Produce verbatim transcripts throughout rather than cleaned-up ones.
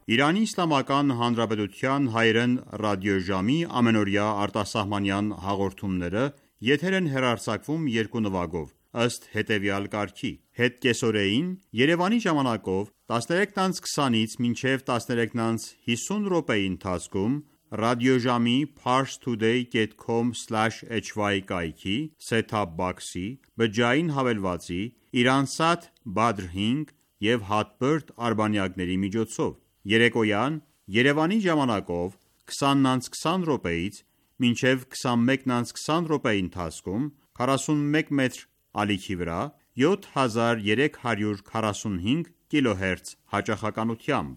Իրանի Իսլամական Հանրապետության հայերեն ռադիոժամի ամենօրյա արտասահմանյան հաղորդումները եթեր են հեռարձակվում երկու նվագով, ըստ հետևյալ կարգի. Հետկեսօրեին Երևանի ժամանակով տասներեքից քսանից մինչև տասներեքից հիսուն րոպեի ընթացքում ռադիոժամի parstoday dot com slash h y կայքի set-top box-ի, բջջային հավելվածի, Iransat Badr հինգ և Hotbird արբանյակների միջոցով։ Երեկոյան Երևանի ժամանակով քսանից քսան րոպեից մինչև քսանմեկից քսան րոպեի ընթացքում քառասունմեկ մետր ալիքի վրա յոթ հազար երեք հարյուր քառասունհինգ կիլոհերց հաճախականությամբ։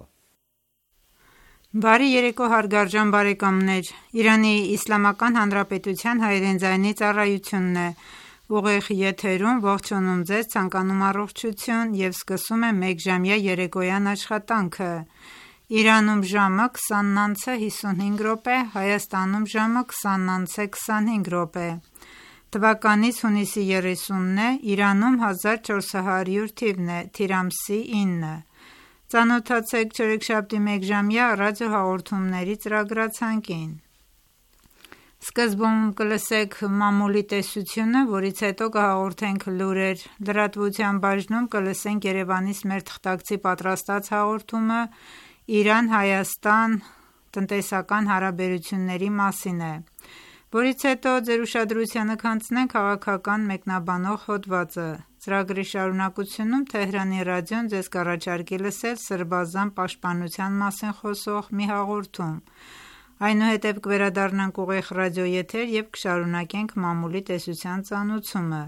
Բարի երեկո հարգարժան բարեկամներ, Իրանի Իսլամական Հանրապետության հայերեն ձայնի ծառայությունն է, ուղիղ եթերում ողջունում ձեզ, ցանկանում առողջություն և սկսում է մեկժամյա երեկոյան աշխատանքը։ Իրանում ժամը քսանն անց է հիսունհինգ րոպե, Հայաստանում ժամը քսանն անց է քսանհինգ րոպե։ Թվականից հունիսի երեսունն է, Իրանում հազար չորս հարյուր թիվն է, թիր ամսի ինը։ Ծանոթացեք չորեքշաբթի մեկժամյա ռադիոհաղորդումների ծրագրացանկին։ Սկզբում կլսեք մամուլի տեսությունը, որից հետո կհաղորդենք լուրեր, լրատվության բաժնում կլսենք Երևանից մեր թղթակցի պատրաստած հաղորդումը Իրան-Հայաստան տնտեսական հարաբերությունների մասին է, որից հետո ձեր ուշադրությանը կհանձնենք քաղաքական մեկնաբանող հոդվածը։ Ծրագրի շարունակությունում Թեհրանի ռադիոն ձեզ կառաջարկի լսել Սրբազան պաշտպանության մասին խոսող մի հաղորդում։ Այնուհետև կվերադառնանք ուղիղ ռադիոեթեր և կշարունակենք մամուլի տեսության ծանուցումը,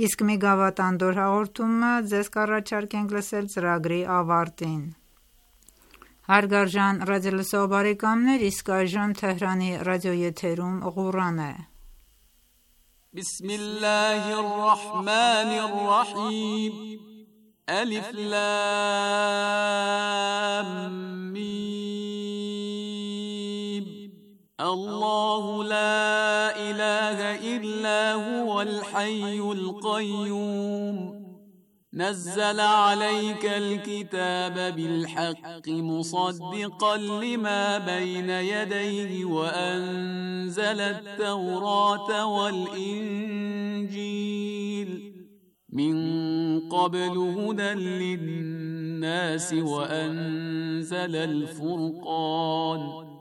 իսկ մի գավաթանդոր հաղորդումը ձեզ կառաջարկենք լսել ծրագրի ավարտին։ Հարգարժան ռադիոլսող բարեկամներ, իսկ այժմ Թեհրանի ռադիոեթերում Ղուրան է։ Բիսմիլլահի ռրահմանի ռրահիմ Ալիֆ լամ միմ Allahu la ilaha illa huwal hayyul qayyum نزل عليك الكتاب بالحق مصدقا لما بين يديه وأنزل التوراة والإنجيل من قبل هدى للناس وأنزل الفرقان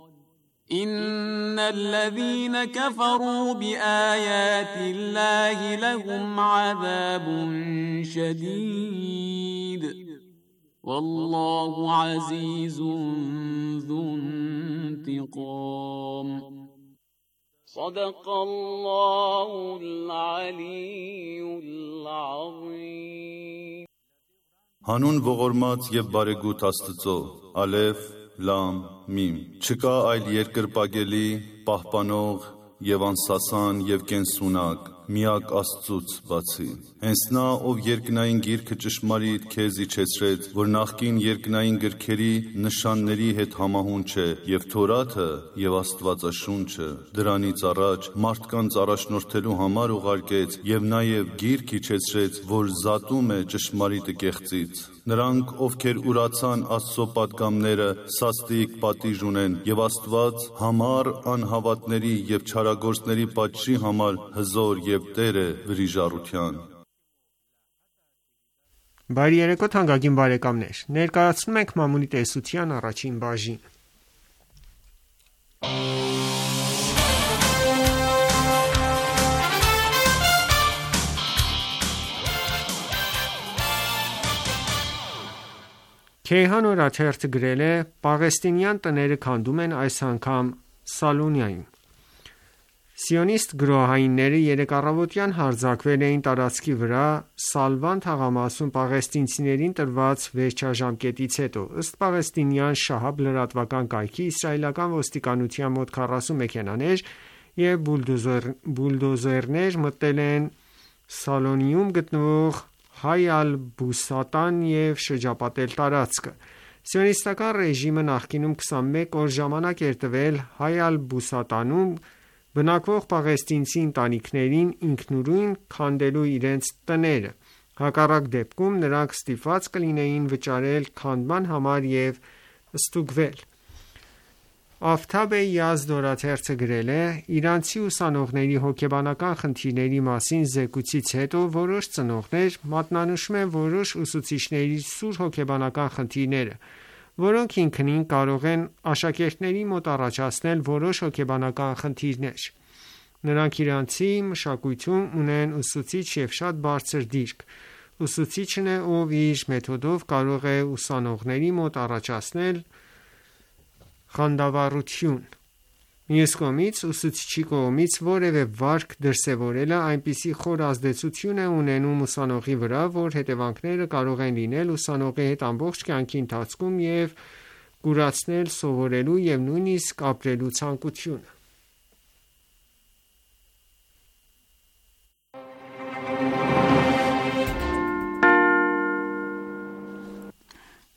إن الذين كفروا بآيات الله لهم عذاب شديد والله عزيز ذو انتقام صدق الله العلي العظيم Հանուն ողորմած և բարեգութ Աստծո, Ալեֆ, Լամ, Միմ։ Չկա այլ երկրպագելի, պահպանող և անսասան և կենսունակ, միակ Աստծուց բացի։ Հենց նա, ով երկնային գիրքը ճշմարիտ քեզ իջեցրեց, որ նախկին երկնային գրքերի նշանների հետ համահունչ է, և Թորաթը և Աստվածաշունչը դրանից առաջ մարդկանց առաջնորդելու համար ուղարկեց, և նաև գիրք իջեցրեց, որ զատում է ճշմարիտը կեղծից։ Նրանք, ովքեր ուրացան Աստծո պատգամները, սաստիկ պատիժ ունեն, և Աստված համառ անհավատների և չարագործների պատժի համար հզոր և Տեր է վրիժառության։ Բարի երեկո թանկագին բարեկամներ, ներկայացնում ենք մամուլի տեսության առաջին բաժինը։ Քեյհան օրաթերթը գրել է. Պաղեստինյան տները քանդում են այս անգամ Սալոնիայում։ Սիոնիստ գրոհայինները երեկ առավոտյան հարձակվել էին տարածքի վրա Սալվան թաղամասում պաղեստինցիներին տրված վերջաժամկետից հետո։ Ըստ պաղեստինյան Շահաբ լրատվական կայքի, իսրայելական ոստիկանության մոտ քառասուն մեքենաներ և բուլդոզերներ մտել են Սալոնիում գտնվող Հայ ալ-Բուսատան և շրջապատել տարածքը։ Սիոնիստական ռեժիմը նախկինում քսանմեկ օր ժամանակ էր տվել Հայ ալ-Բուսատանում բնակվող պաղեստինցի ընտանիքներին ինքնուրույն քանդելու իրենց տները։ Հակառակ դեպքում նրանք ստիպված կլինեին վճարել քանդման համար և ստուգվել։ Աֆթաբ Յազդ օրաթերթը գրել է. «Իրանցի ուսանողների հոգեբանական խնդիրների մասին զեկույցից հետո որոշ ծնողներ մատնանշում են որոշ ուսուցիչների սուր հոգեբանական խնդիրները, որոնք ինքնին կարող են աշակերտների մոտ առաջացնել որոշ հոգեբանական խնդիրներ։ Նրանք իրանցի մշակույթում ունեն ուսուցիչ և շատ բարձր դիրք։ Ուսուցիչն է, ով իր մեթոդով կարող է ուսանողների մոտ առաջացնել խանդավառություն։ Մյուս կողմից, ուսուցչի կողմից որևէ վարք դրսևորելը այնպիսի խոր ազդեցություն է ունենում ուսանողի վրա, որ հետևանքները կարող են լինել ուսանողի հետ ամբողջ կյանքի ընթացքում և կուրացնել սովորելու և նույնիսկ ապրելու ցանկությունը»։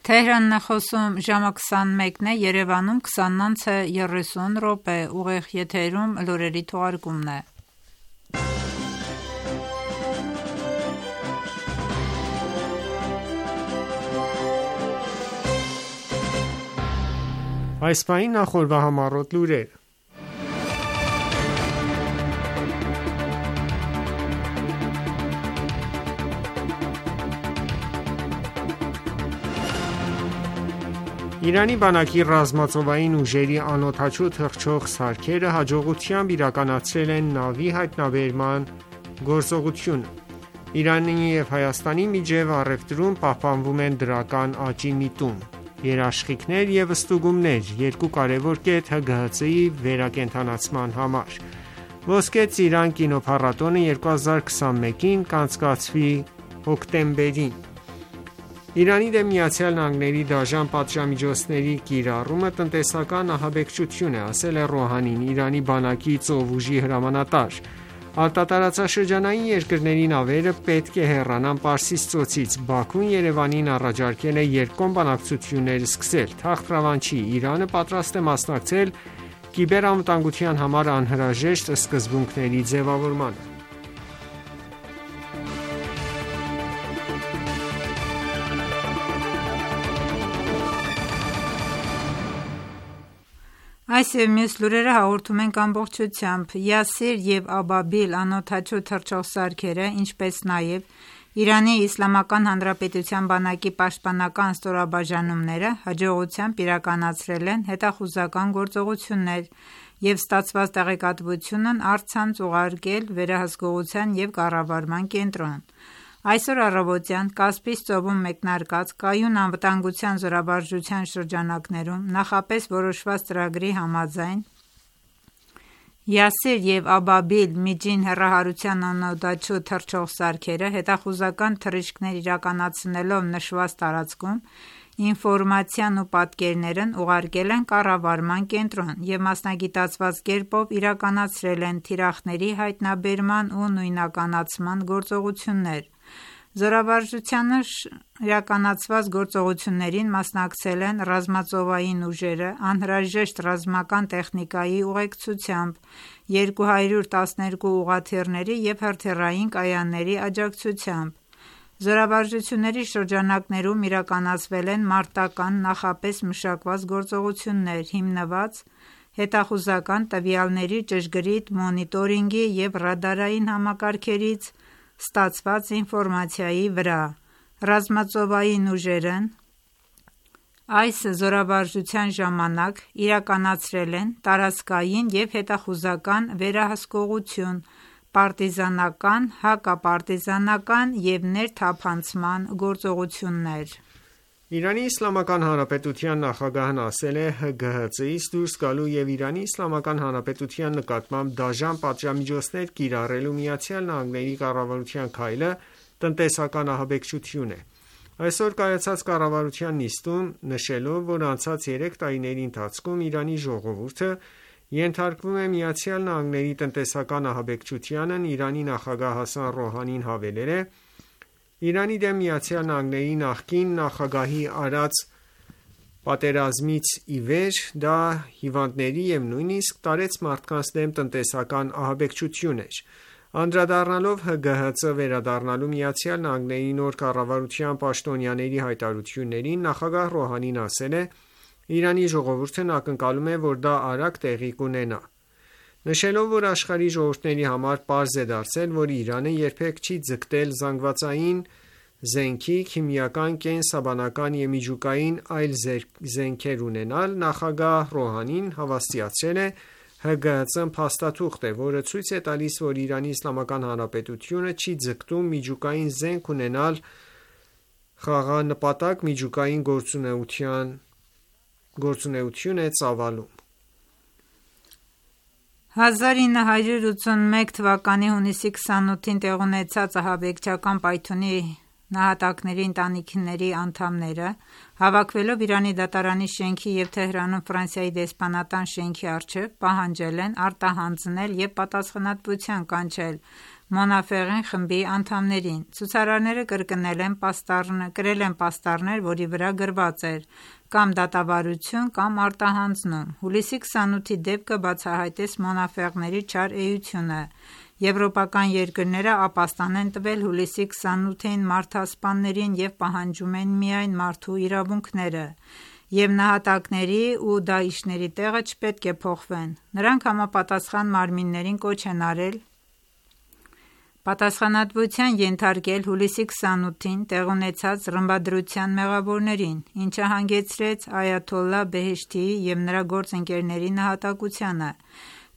Թեհրանն է խոսում ժամը քսանմեկն է, Երևանում քսանն անց է երեսուն րոպե, ուղիղ եթերում լուրերի թողարկումն է։ Այս պահին նախորդ համառոտ լուրեր։ Իրանի բանակի ռազմածովային ուժերի անօդաչու թռչող սարքերը հաջողությամբ իրականացրել են նավի հայտնաբերման գործողությունը։ Իրանի և Հայաստանի միջև առևտրում պահպանվում են դրական աճի միտում, երաշխիքներ և ստուգումներ երկու կարևոր կետ Հ Գ Հ Ց-ի վերակենդանացման համար։ Ոսկե ծիրան կինոփառատոնը երկու հազար քսանմեկին կանցկացվի հոկտեմբերին։ Իրանի դեմ ԱՄՆ-ի դաժան պատժամիջոցների կիրառումը տնտեսական ահաբեկչություն է, ասել է Ռոհանին, Իրանի բանակի ծովուժի հրամանատար։ Արտատարածաշրջանային երկրների նավերը պետք է հեռանան Պարսից ծոցից։ Բաքուն Երևանին առաջարկել է երկկողմ բանակցություններ սկսել։ Թախտրավանչի Իրանը պատրաստ է մասնակցել կիբերանվտանգության համար անհրաժեշտ սկզբունքների ձևավորմանը։ Այս և մյուս լուրերը հաղորդում ենք ամբողջությամբ։ Յասիր և Աբաբիլ անօդաչու թռչող սարքերը, ինչպես նաև Իրանի Իսլամական Հանրապետության բանակի պաշտպանական ստորաբաժանումները հաջողությամբ իրականացրել են հետախուզական գործողություններ և ստացված տեղեկատվությունն առցանց ուղարկել վերահսկողության և կառավարման կենտրոն։ Այսօր առավոտյան Կասպից ծովում մեկնարկած կայուն անվտանգության զորավարժության շրջանակներում նախապես որոշված ծրագրի համաձայն Յասիր և Աբաբիլ միջին հեռահարության անօդաչու թռչող սարքերը հետախուզական թռիչքներ իրականացնելով նշված տարածքում ինֆորմացիան ու պատկերներն ուղարկել են կառավարման կենտրոն և մասնագիտացված կերպով իրականացրել են թիրախների հայտնաբերման ու նույնականացման գործողություններ։ Զորավարժությանը իրականացված գործողություններին մասնակցել են ռազմածովային ուժերը անհրաժեշտ ռազմական տեխնիկայի ուղեկցությամբ, երկու հարյուր տասներկու ուղղաթիռների և հրթիռային կայանների աջակցությամբ։ Զորավարժությունների շրջանակներում իրականացվել են մարտական նախապես մշակված գործողություններ՝ հիմնված հետախուզական տվյալների ճշգրիտ մոնիտորինգի և ռադարային համակարգերից ստացված ինֆորմացիայի վրա։ Ռազմածովային ուժերն այս զորավարժության ժամանակ իրականացրել են տարածքային և հետախուզական վերահսկողություն, պարտիզանական, հակապարտիզանական և ներթափանցման գործողություններ։ Իրանի Իսլամական Հանրապետության նախագահն ասել է Հ Գ Հ Ց-ից դուրս գալու և Իրանի Իսլամական Հանրապետության նկատմամբ դաժան պատժամիջոցներ կիրառելու ԱՄՆ-ի կառավարության քայլը տնտեսական ահաբեկչություն է։ Այսօր կայացած կառավարության նիստում նշելով, որ անցած երեք տարիների ընթացքում Իրանի ժողովուրդը ենթարկվում է ԱՄՆ-ի տնտեսական ահաբեկչությանն, Իրանի նախագահ Հասան Ռոհանին հավելել է. «Իրանի դեմ ԱՄՆ-ի նախկին նախագահի արած պատերազմից ի վեր դա հիվանդների և նույնիսկ տարեց մարդկանց դեմ տնտեսական ահաբեկչություն էր»։ Անդրադառնալով Հ Գ Հ Ց վերադառնալու ԱՄՆ-ի նոր կառավարության պաշտոնյաների հայտարարություններին, նախագահ Ռոհանին ասել է. Իրանի ժողովուրդն ակնկալում է, որ դա արագ տեղի կունենա, նշելով, որ աշխարհի ժողովուրդների համար պարզ է դարձել, որ Իրանը երբեք չի ձգտել զանգվածային զենքի, քիմիական, կենսաբանական և միջուկային այլ զենքեր ունենալ, նախագահ Ռոհանին հավաստիացրել է Հ Գ Ծ փաստաթուղթ է, որը ցույց է տալիս, որ Իրանի Իսլամական Հանրապետությունը չի ձգտում միջուկային զենք ունենալ խաղաղանպատակ միջուկային գործունեություն է ծավալում։ հազար ինը հարյուր ութսունմեկ թվականի հունիսի քսանութին տեղի ունեցած ահաբեկչական պայթյունի նահատակների ընտանիքների անդամները, հավաքվելով Իրանի դատարանի շենքի և Թեհրանում Ֆրանսիայի դեսպանատան շենքի առջև, պահանջել են արտահանձնել և պատասխանատվության կանչել Մոնաֆեղին խմբի անդամներին։ Ցուցարարները կրկնել են կրել են պաստառներ, որի վրա գրված էր «Կամ դատավարություն, կամ արտահանձնում»։ Հուլիսի քսանութի դեպքը բացահայտեց Մոնաֆեղների չար էությունը։ Եվրոպական երկրները ապաստան են տվել հուլիսի քսանութին մարդասպաններին և պահանջում են միայն մարդու իրավունքները, և նահատակների ու դահիշների տեղը չպետք է փոխվեն։ Նրանք համապատասխան մարմիններին կոչ են արել պատասխանատվության ենթարկել հուլիսի քսանութին տեղի ունեցած ռմբադրության մեղավորներին, ինչը հանգեցրեց այաթոլլահ Բեհեշթիի և նրա գործընկերների նահատակությանը։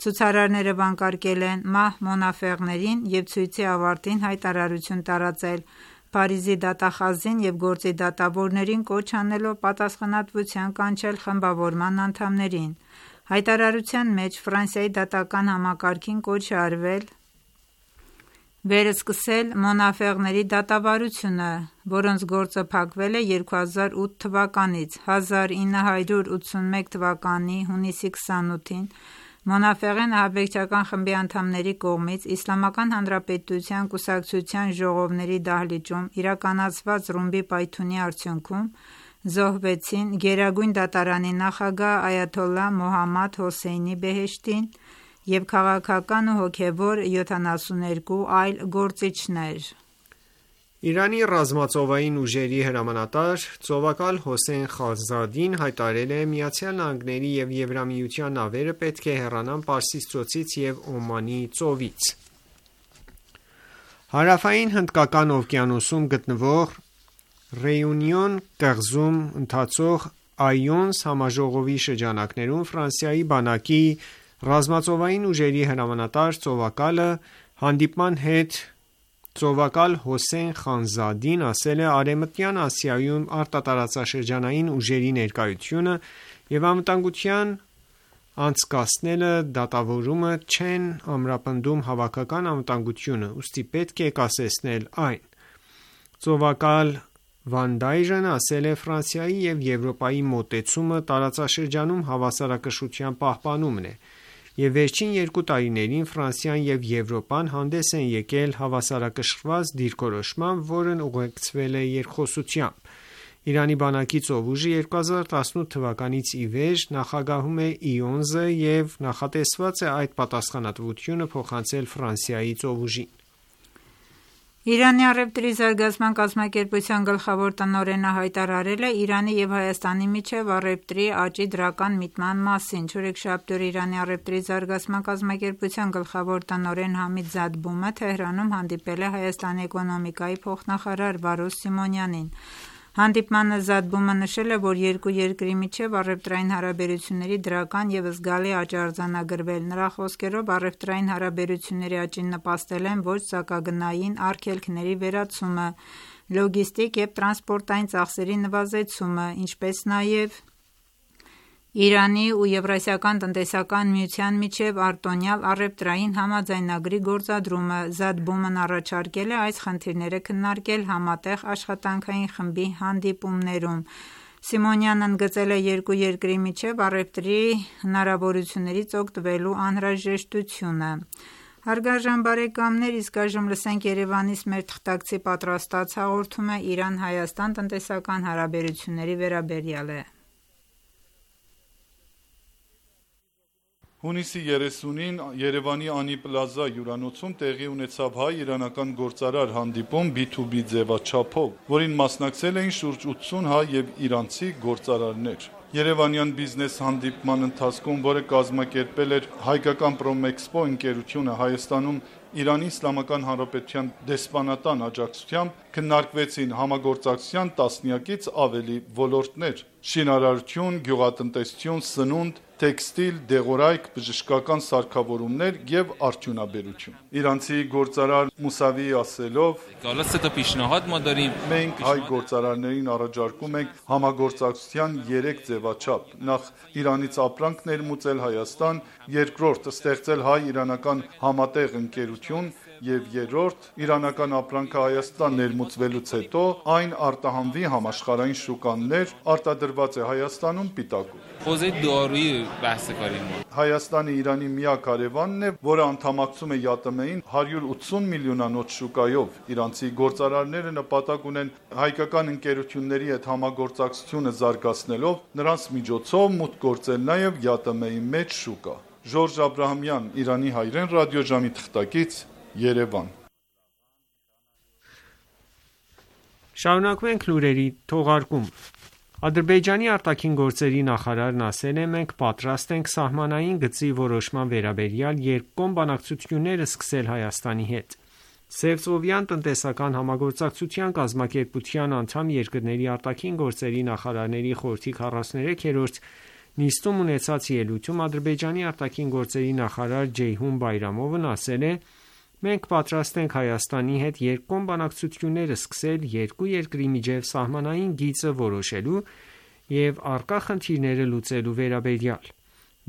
Ցուցարարները վանկարկել են մահ Մոնաֆեղներին և ցույցի ավարտին հայտարարություն տարածել Փարիզի դատախազին և գործի դատավորներին կոչ անելով պատասխանատվության կանչել խմբավորման անդամներին։ Հայտարարության մեջ Ֆրանսիայի դատական համակարգին կոչ է արվել վերսկսել Մոնաֆեղների դատավարությունը, որոնց գործը փակվել է երկու հազար ութ թվականից։ հազար ինը հարյուր ութսունմեկ թվականի հունիսի քսանութին Մոնաֆեղին ահաբեկչական խմբի անդամների կողմից Իսլամական Հանրապետության կուսակցության ժողովների դահլիճում իրականացված ռումբի պայթյունի արդյունքում զոհվեցին Գերագույն դատարանի նախագահ այաթոլլահ Մոհամմադ Հոսեյնի Բեհեշթին և քաղաքական ու հոգևոր յոթանասունութ այլ գործիչներ։ Իրանի ռազմածովային ուժերի հրամանատար ծովակալ Հոսեյն Խազադին հայտարարել է. «Միացյալ Նահանգների և Եվրամիության նավերը պետք է հեռանան Պարսից ծոցից և Օմանի ծովից»։ Հարավային Հնդկական օվկիանոսում գտնվող Ռեյունիոն կղզում ընթացող Այոնս համաժողովի շրջանակներում Ֆրանսիայի բանակի ռազմածովային ուժերի հրամանատար ծովակալը հանդիպման հետ ծովակալ Հոսեյն Խանզադին ասել է. «Արևմտյան Ասիայում արտատարածաշրջանային ուժերի ներկայությունը և անվտանգության անցկացնելը դատավորումը չեն ամրապնդում հավաքական անվտանգությունը, ուստի պետք է կասեցնել այն»։ Ծովակալ Վանդայրն ասել է. «Ֆրանսիայի և Եվրոպայի մոտեցումը տարածաշրջանում հավասարակշռության պահպանումն է, և վերջին երկու տարիներին Ֆրանսիան և Եվրոպան հանդես են եկել հավասարակշռված դիրքորոշմամբ, որն ուղեկցվել է երկխոսությամբ»։ Իրանի բանակի ծովուժը երկու հազար տասնութ թվականից ի վեր նախագահում է Իոնզը և նախատեսված է այդ պատասխանատվությունը փոխանցել Ֆրանսիայի ծովուժին։ Իրանի առևտրի զարգացման կազմակերպության գլխավոր տնօրենը հայտարարել է Իրանի և Հայաստանի միջև առևտրի աճի դրական միտման մասին։ Չորեքշաբթի օրը Իրանի առևտրի զարգացման կազմակերպության գլխավոր տնօրեն Համիդ Զադբումը Թեհրանում հանդիպել է Հայաստանի էկոնոմիկայի փոխնախարար Վարոս Սիմոնյանին։ Հանդիպմանը Զադբումը նշել է, որ երկու երկրի միջև առևտրային հարաբերությունների դրական և զգալի աճ է արձանագրվել։ Նրա խոսքերով առևտրային հարաբերությունների աճին նպաստել են ոչ սակագնային արգելքների վերացումը, լոգիստիկ և տրանսպորտային ծախսերի նվազեցումը, ինչպես նաև Իրանի ու Եվրասիական տնտեսական միության միջև արտոնյալ առևտրային համաձայնագրի գործադրումը։ Զադբումն առաջարկել է այս խնդիրները քննարկել Համատեղ աշխատանքային խմբի հանդիպումներում։ Սիմոնյանն ընդգծել է երկու երկրի միջև առևտրի հնարավորություններից օգտվելու անհրաժեշտությունը։ Հարգարժան բարեկամներ, իսկ այժմ լսենք Երևանից մեր թղթակցի պատրաստած հաղորդումը Իրան-Հայաստան տնտեսական հարաբերությունների վերաբերյալ։ Հունիսի երեսունին Երևանի Անի Պլազա հյուրանոցում տեղի ունեցավ հայ-իրանական գործարար հանդիպում բի թու բի ձևաչափով, որին մասնակցել էին շուրջ ութսուն հայ և իրանցի գործարարներ։ Երևանյան բիզնես հանդիպման ընթացքում, որը կազմակերպել էր Հայկական Պրոմեքսպո ընկերությունը Հայաստանում Իրանի Իսլամական Հանրապետության դեսպանատան աջակցությամբ, քննարկվեցին համագործակցության տասնյակից ավելի ոլորտներ՝ շինարարություն, գյուղատնտեսություն, սնունդ, տեքստիլ, դեղորայք, բժշկական սարքավորումներ եւ արդյունաբերություն։ Իրանցի գործարար Մուսավիի ասելով, մենք հայ գործարարներին առաջարկում ենք համագործակցության երեք ձևաչափ. նախ Իրանից ապրանք ներմուծել Հայաստան, երկրորդ ստեղծել հայ-իրանական համատեղ ընկերություն եւ երրորդ իրանական ապրանքը Հայաստան ներմուծվելուց հետո այն արտահանվի համաշխարհային շուկաներ, արտադրված է Հայաստանում պիտակով։ Հայաստանը Իրանի միակ հարևանն է, որը անդամակցում է ԵԱՏՄ-ին հարյուր ութսուն միլիոնանոց շուկայով։ Իրանցի գործարարները նպատակ ունեն հայկական ընկերությունների հետ համագործակցությունը զարգացնելով նրանց միջոցով մուտք գործել նաև ԵԱՏՄ-ի մեջ շուկա։ Ժորժ Աբրահամյան, Իրանի հայրեն ռադիոժամի թղթակից, Երևան։ Շարունակում ենք լուրերի թողարկումը։ Ադրբեջանի արտաքին գործերի նախարարն ասել է. «Մենք պատրաստ ենք սահմանային գծի որոշման վերաբերյալ երկկողմ բանակցություններ սկսել Հայաստանի հետ»։ Սևծովյան տնտեսական համագործակցության կազմակերպության անդամ երկրների արտաքին գործերի նախարարների խորհրդի քառասուներեքերորդ նիստում ունեցած ելույթում Ադրբեջանի արտաքին գործերի նախարար Ջեյհուն Բայրամովն ասել է. «Մենք պատրաստ ենք Հայաստանի հետ երկկողմ բանակցություններ սկսել երկու երկրի միջև սահմանային գիծը որոշելու և առկա խնդիրները լուծելու վերաբերյալ»։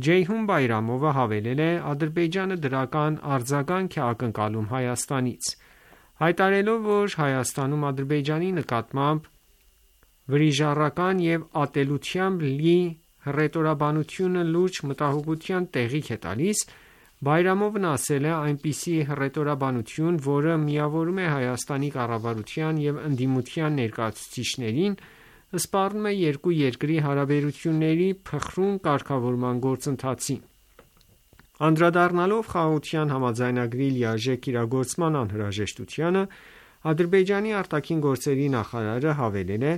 Ջեյհուն Բայրամովը հավելել է. «Ադրբեջանը դրական արձագանք է ակնկալում Հայաստանից»։ Հայտարարելով, որ Հայաստանում Ադրբեջանի նկատմամբ վրիժառական և ատելությամբ լի հռետորաբանությունը լուրջ մտահոգության տեղիք է տալիս, Բայրամովն ասել է. «Այնպիսի հռետորաբանություն, որը միավորում է Հայաստանի կառավարության և ընդդիմության ներկայացուցիչներին, սպառնում է երկու երկրի հարաբերությունների փխրուն կարգավորման գործընթացին»։ Անդրադառնալով Խաղաղության համաձայնագրի լիարժեք իրագործման անհրաժեշտությանը, Ադրբեջանի արտաքին գործերի նախարարը հավելել է.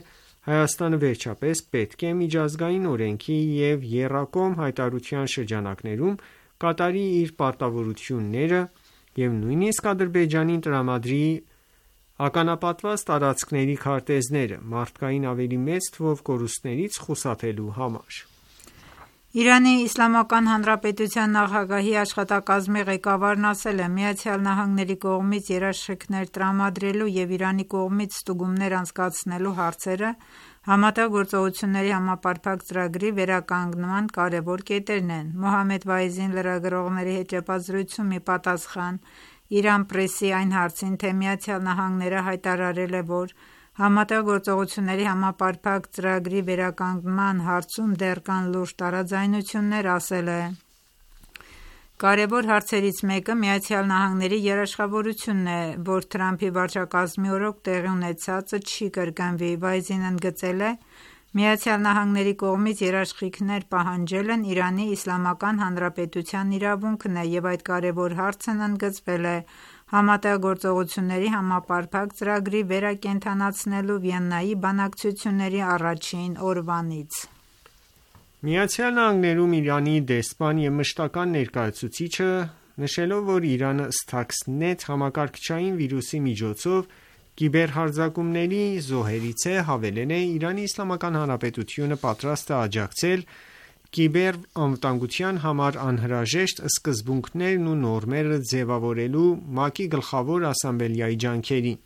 «Հայաստանը վերջապես պետք է միջազգային օրենքի և եռակողմ հայտարարության շրջանակներում կատարի իր պարտավորությունները և նույնիսկ Ադրբեջանին տրամադրի ականապատված տարածքների քարտեզները՝ մարդկային ավելի մեծ թվով կորուստներից խուսափելու համար»։ Իրանի Իսլամական Հանրապետության նախագահի աշխատակազմի ղեկավարն ասել է. «ԱՄՆ-ի կողմից երաշխիքներ տրամադրելու և Իրանի կողմից ստուգումներ անցկացնելու հարցերը Համատեղ գործողությունների համապարփակ ծրագրի վերականգնման կարևոր կետերն են»։ Մոհամմեդ Վայզին լրագրողների հետ ճեպազրույցում ի պատասխան Իրան Պրեսի այն հարցին, թե ԱՄՆ-ը հայտարարել է, որ Համատեղ գործողությունների համապարփակ ծրագրի վերականգնման հարցում դեռ կան լուրջ տարաձայնություններ, ասել է. «Կարևոր հարցերից մեկը ԱՄՆ-ի երաշխավորությունն է, որ Թրամփի վարչակարգի օրոք տեղի ունեցածը չի կրկնվի»։ Վայզին ընդգծել է. «ԱՄՆ-ի կողմից երաշխիքներ պահանջելն Իրանի Իսլամական Հանրապետության իրավունքն է և այդ կարևոր հարցն ընդգծվել է Համատեղ գործողությունների համապարփակ ծրագրի վերակենդանացնելու Վիեննայի բանակցությունների առաջին օրվանից»։ ԱՄՆ-ում Իրանի դեսպան և մշտական ներկայացուցիչը, նշելով, որ Իրանը Stuxnet համակարգչային վիրուսի միջոցով կիբերհարձակումների զոհերից է, հավելել է. «Իրանի Իսլամական Հանրապետությունը պատրաստ է աջակցել կիբերանվտանգության համար անհրաժեշտ սկզբունքներն ու նորմերը ձևավորելու ՄԱԿ-ի Գլխավոր ասամբլեայի ջանքերին»։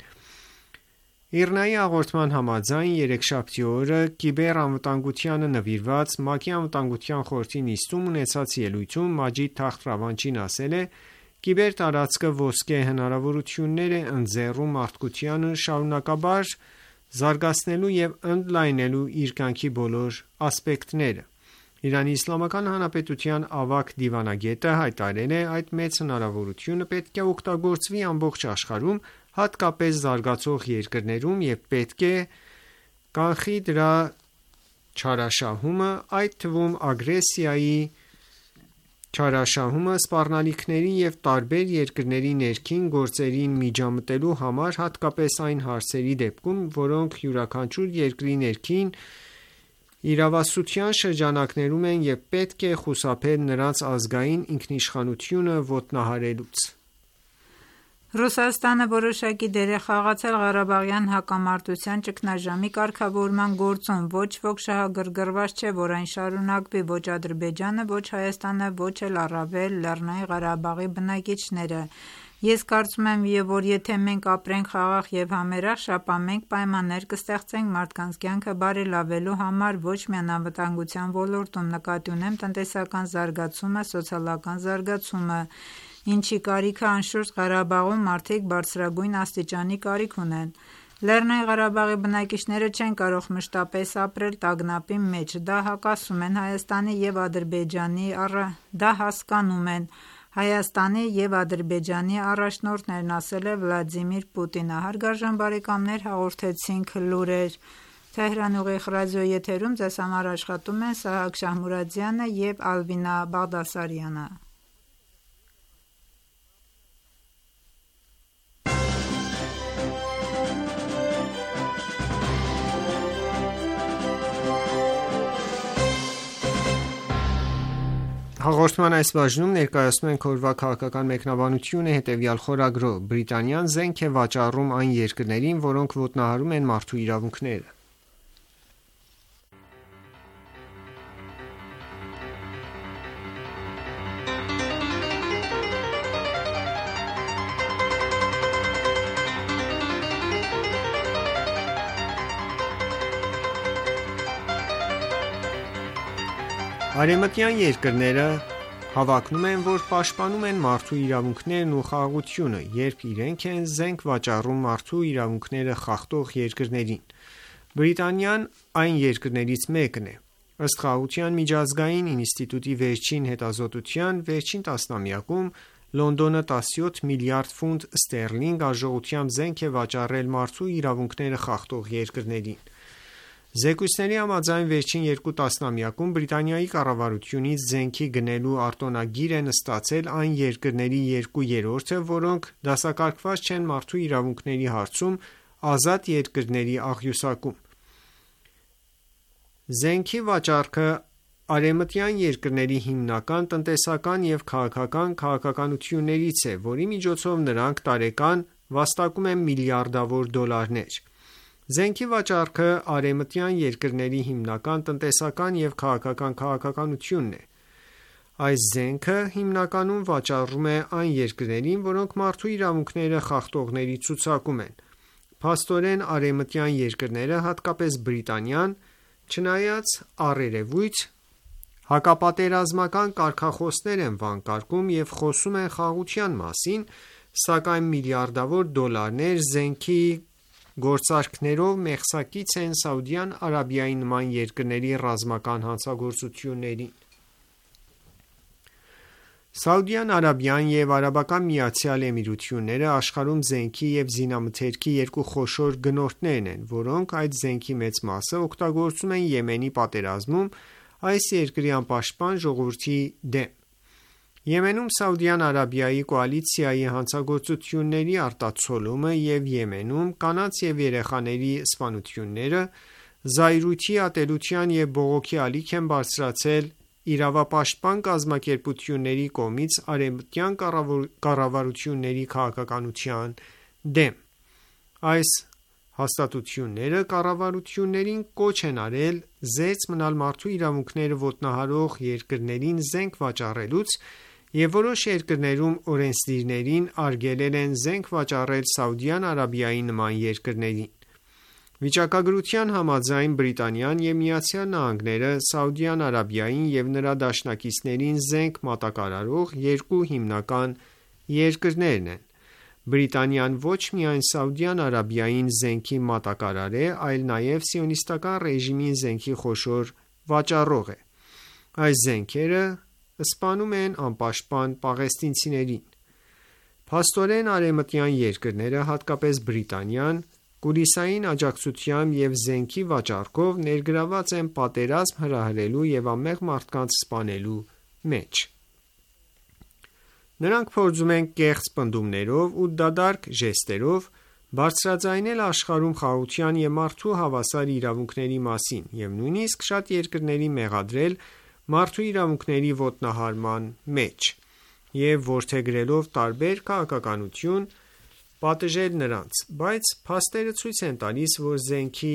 ԻՌՆԱ-ի հաղորդման համաձայն, երեքշաբթի օրը կիբերանվտանգությանը նվիրված ՄԱԿ-ի Անվտանգության խորհրդի նիստում ունեցած ելույթում Մաջիդ Թախտ Ռավանչին ասել է. «Կիբերտարածքը ոսկե հնարավորություններ է ընձեռում մարդկությանը շարունակաբար զարգացնելու և ընդլայնելու իր կյանքի բոլոր ասպեկտները»։ Իրանի Իսլամական Հանրապետության ավագ դիվանագետը հայտարարել է. «Այդ մեծ հնարավորությունը պետք է օգտագործվի ամբողջ աշխարհում, հատկապես զարգացող երկրներում և պետք է կանխի դրա չարաշահումը, այդ թվում ագրեսիայի չարաշահումը սպառնալիքների և տարբեր երկրների ներքին գործերին միջամտելու համար, հատկապես այն հարցերի դեպքում, որոնք յուրաքանչյուր երկրի ներքին իրավասության շրջանակներում են և պետք է խուսափել նրանց ազգային ինքնիշխանությունը ոտնահարելուց: Ռուսաստանը որոշակի դեր է խաղացել Ղարաբաղյան հակամարտության ճգնաժամի կարգավորման գործում: Ոչ ոք շահագրգռված չէ, որ այն շարունակվի: Ոչ Ադրբեջանը, ոչ Հայաստանը, ոչ էլ առավել Լեռնային Ղարաբաղի բնակիչները: Ես կարծում եմ, որ եթե մենք ապրենք խաղաղ և համերախ շաբա, մենք պայմաններ կստեղծենք մարդկանց կյանքը բարելավելու համար ոչ միայն անվտանգության ոլորտում, նկատի ունեմ տնտեսական զարգացումը, սոցիալական զարգացումը, ինչի կարիքը անշուշտ Ղարաբաղում մարդիկ բարձրագույն աստիճանի կարիք ունեն: Լեռնային Ղարաբաղի բնակիչները չեն կարող մշտապես ապրել տագնապի մեջ: Դա հակասում են Հայաստանի և Ադրբեջանի դա հասկանում են Հայաստանի և Ադրբեջանի առաջնորդներն, ասել է Վլադիմիր Պուտինը: Հարգարժան բարեկամներ, հաղորդեցինք լուրեր Թեհրան ուղիղ ռադիոյի եթերում ձեզ համար աշխատում են Սահակ Շահմուրադյանը և Ալվինա Բաղդասարյանը: Հաղորդման այս բաժնում ներկայացնում ենք օրվա քաղաքական մեկնաբանությունը հետևյալ խորագրով. Բրիտանիան զենք է վաճառում այն երկրներին, որոնք ոտնահարում են մարդու իրավունքները: Արևմտյան երկրները հավակնում են, որ պաշտպանում են մարդու իրավունքներն ու խաղաղությունը, երբ իրենք են զենք վաճառում մարդու իրավունքները խախտող երկրներին: Բրիտանիան այն երկրներից մեկն է: Ըստ Խաղաղության միջազգային ինստիտուտի վերջին հետազոտության, վերջին տասնամյակում Լոնդոնը տասնյոթ միլիարդ ֆունտ ստերլինգ արժողությամբ զենք է վաճառել մարդու իրավունքները խախտող երկրներին: Զեկույցների համաձայն վերջին երկու տասնամյակում Բրիտանիայի կառավարությունից զենքի գնելու արտոնագիր են ստացել այն երկրների երկու երրորդը, որոնք դասակարգված չեն մարդու իրավունքների հարցում ազատ երկրների աղյուսակում: Զենքի վաճառքը արևմտյան երկրների հիմնական տնտեսական և քաղաքական քաղաքականություններից է, որի միջոցով նրանք տարեկան վաստակում են միլիարդավոր դոլարներ: Զենքի վաճառքը արևմտյան երկրների հիմնական տնտեսական և քաղաքական քաղաքականությունն է: Այս զենքը հիմնականում վաճառվում է այն երկրներին, որոնք մարդու իրավունքները խախտողների ցուցակում են: Փաստորեն արևմտյան երկրները, հատկապես Բրիտանիան, չնայած առերևույթ հակապատերազմական կարգախոսներ են վանկարկում և խոսում են խաղաղության մասին, սակայն միլիարդավոր դոլարներ զենքի գործարքներով մեղսակից են Սաուդյան Արաբիայի նման երկրների ռազմական հանցագործություններին: Սաուդյան Արաբիան և Արաբական Միացյալ Էմիրությունները աշխարհում զենքի և զինամթերքի երկու խոշոր գնորդներն են, որոնք այդ զենքի մեծ մասը օգտագործում են Եմենի պատերազմում այս երկրի անպաշտպան ժողովրդի դեմ: Եմենում Սաուդյան Արաբիայի կոալիցիայի հանցագործությունների արտացոլումը և Եմենում կանանց և երեխաների սպանությունները զայրույթի, ատելության և բողոքի ալիք են բարձրացրել իրավապաշտպան կազմակերպությունների կողմից արևմտյան կառավարությունների քաղաքականության դեմ: Այս հաստատությունները կառավարություններին կոչ են արել զերծ մնալ մարդու իրավունքները ոտնահարող երկրներին զենք վաճառելուց և որոշ երկրներում օրենսդիրներին արգելել են զենք վաճառել Սաուդյան Արաբիայի նման երկրներին: Վիճակագրության համաձայն Բրիտանիան և ԱՄՆ-ը Սաուդյան Արաբիային և նրա դաշնակիցներին զենք մատակարարող երկու հիմնական երկրներն են: Բրիտանիան ոչ միայն Սաուդյան Արաբիային զենքի մատակարար է, այլ նաև Սիոնիստական ռեժիմին զենքի խոշոր վաճառող է: Այս զենքերը սպանում են անպաշտպան պաղեստինցիներին: Փաստորեն արևմտյան երկրները, հատկապես Բրիտանիան, կուլիսային աջակցությամբ և զենքի վաճառքով ներգրավված են պատերազմ հրահրելու և անմեղ մարդկանց սպանելու մեջ: Նրանք փորձում են կեղծ պնդումներով ու դատարկ ժեստերով բարձրաձայնել աշխարհում խաղաղության և մարդու հավասար իրավունքների մասին և նույնիսկ շատ երկրների մեղադրել մարդու իրավունքների ոտնահարման մեջ և որդեգրելով տարբեր քաղաքականություն պատժել նրանց, բայց փաստերը ցույց են տալիս, որ զենքի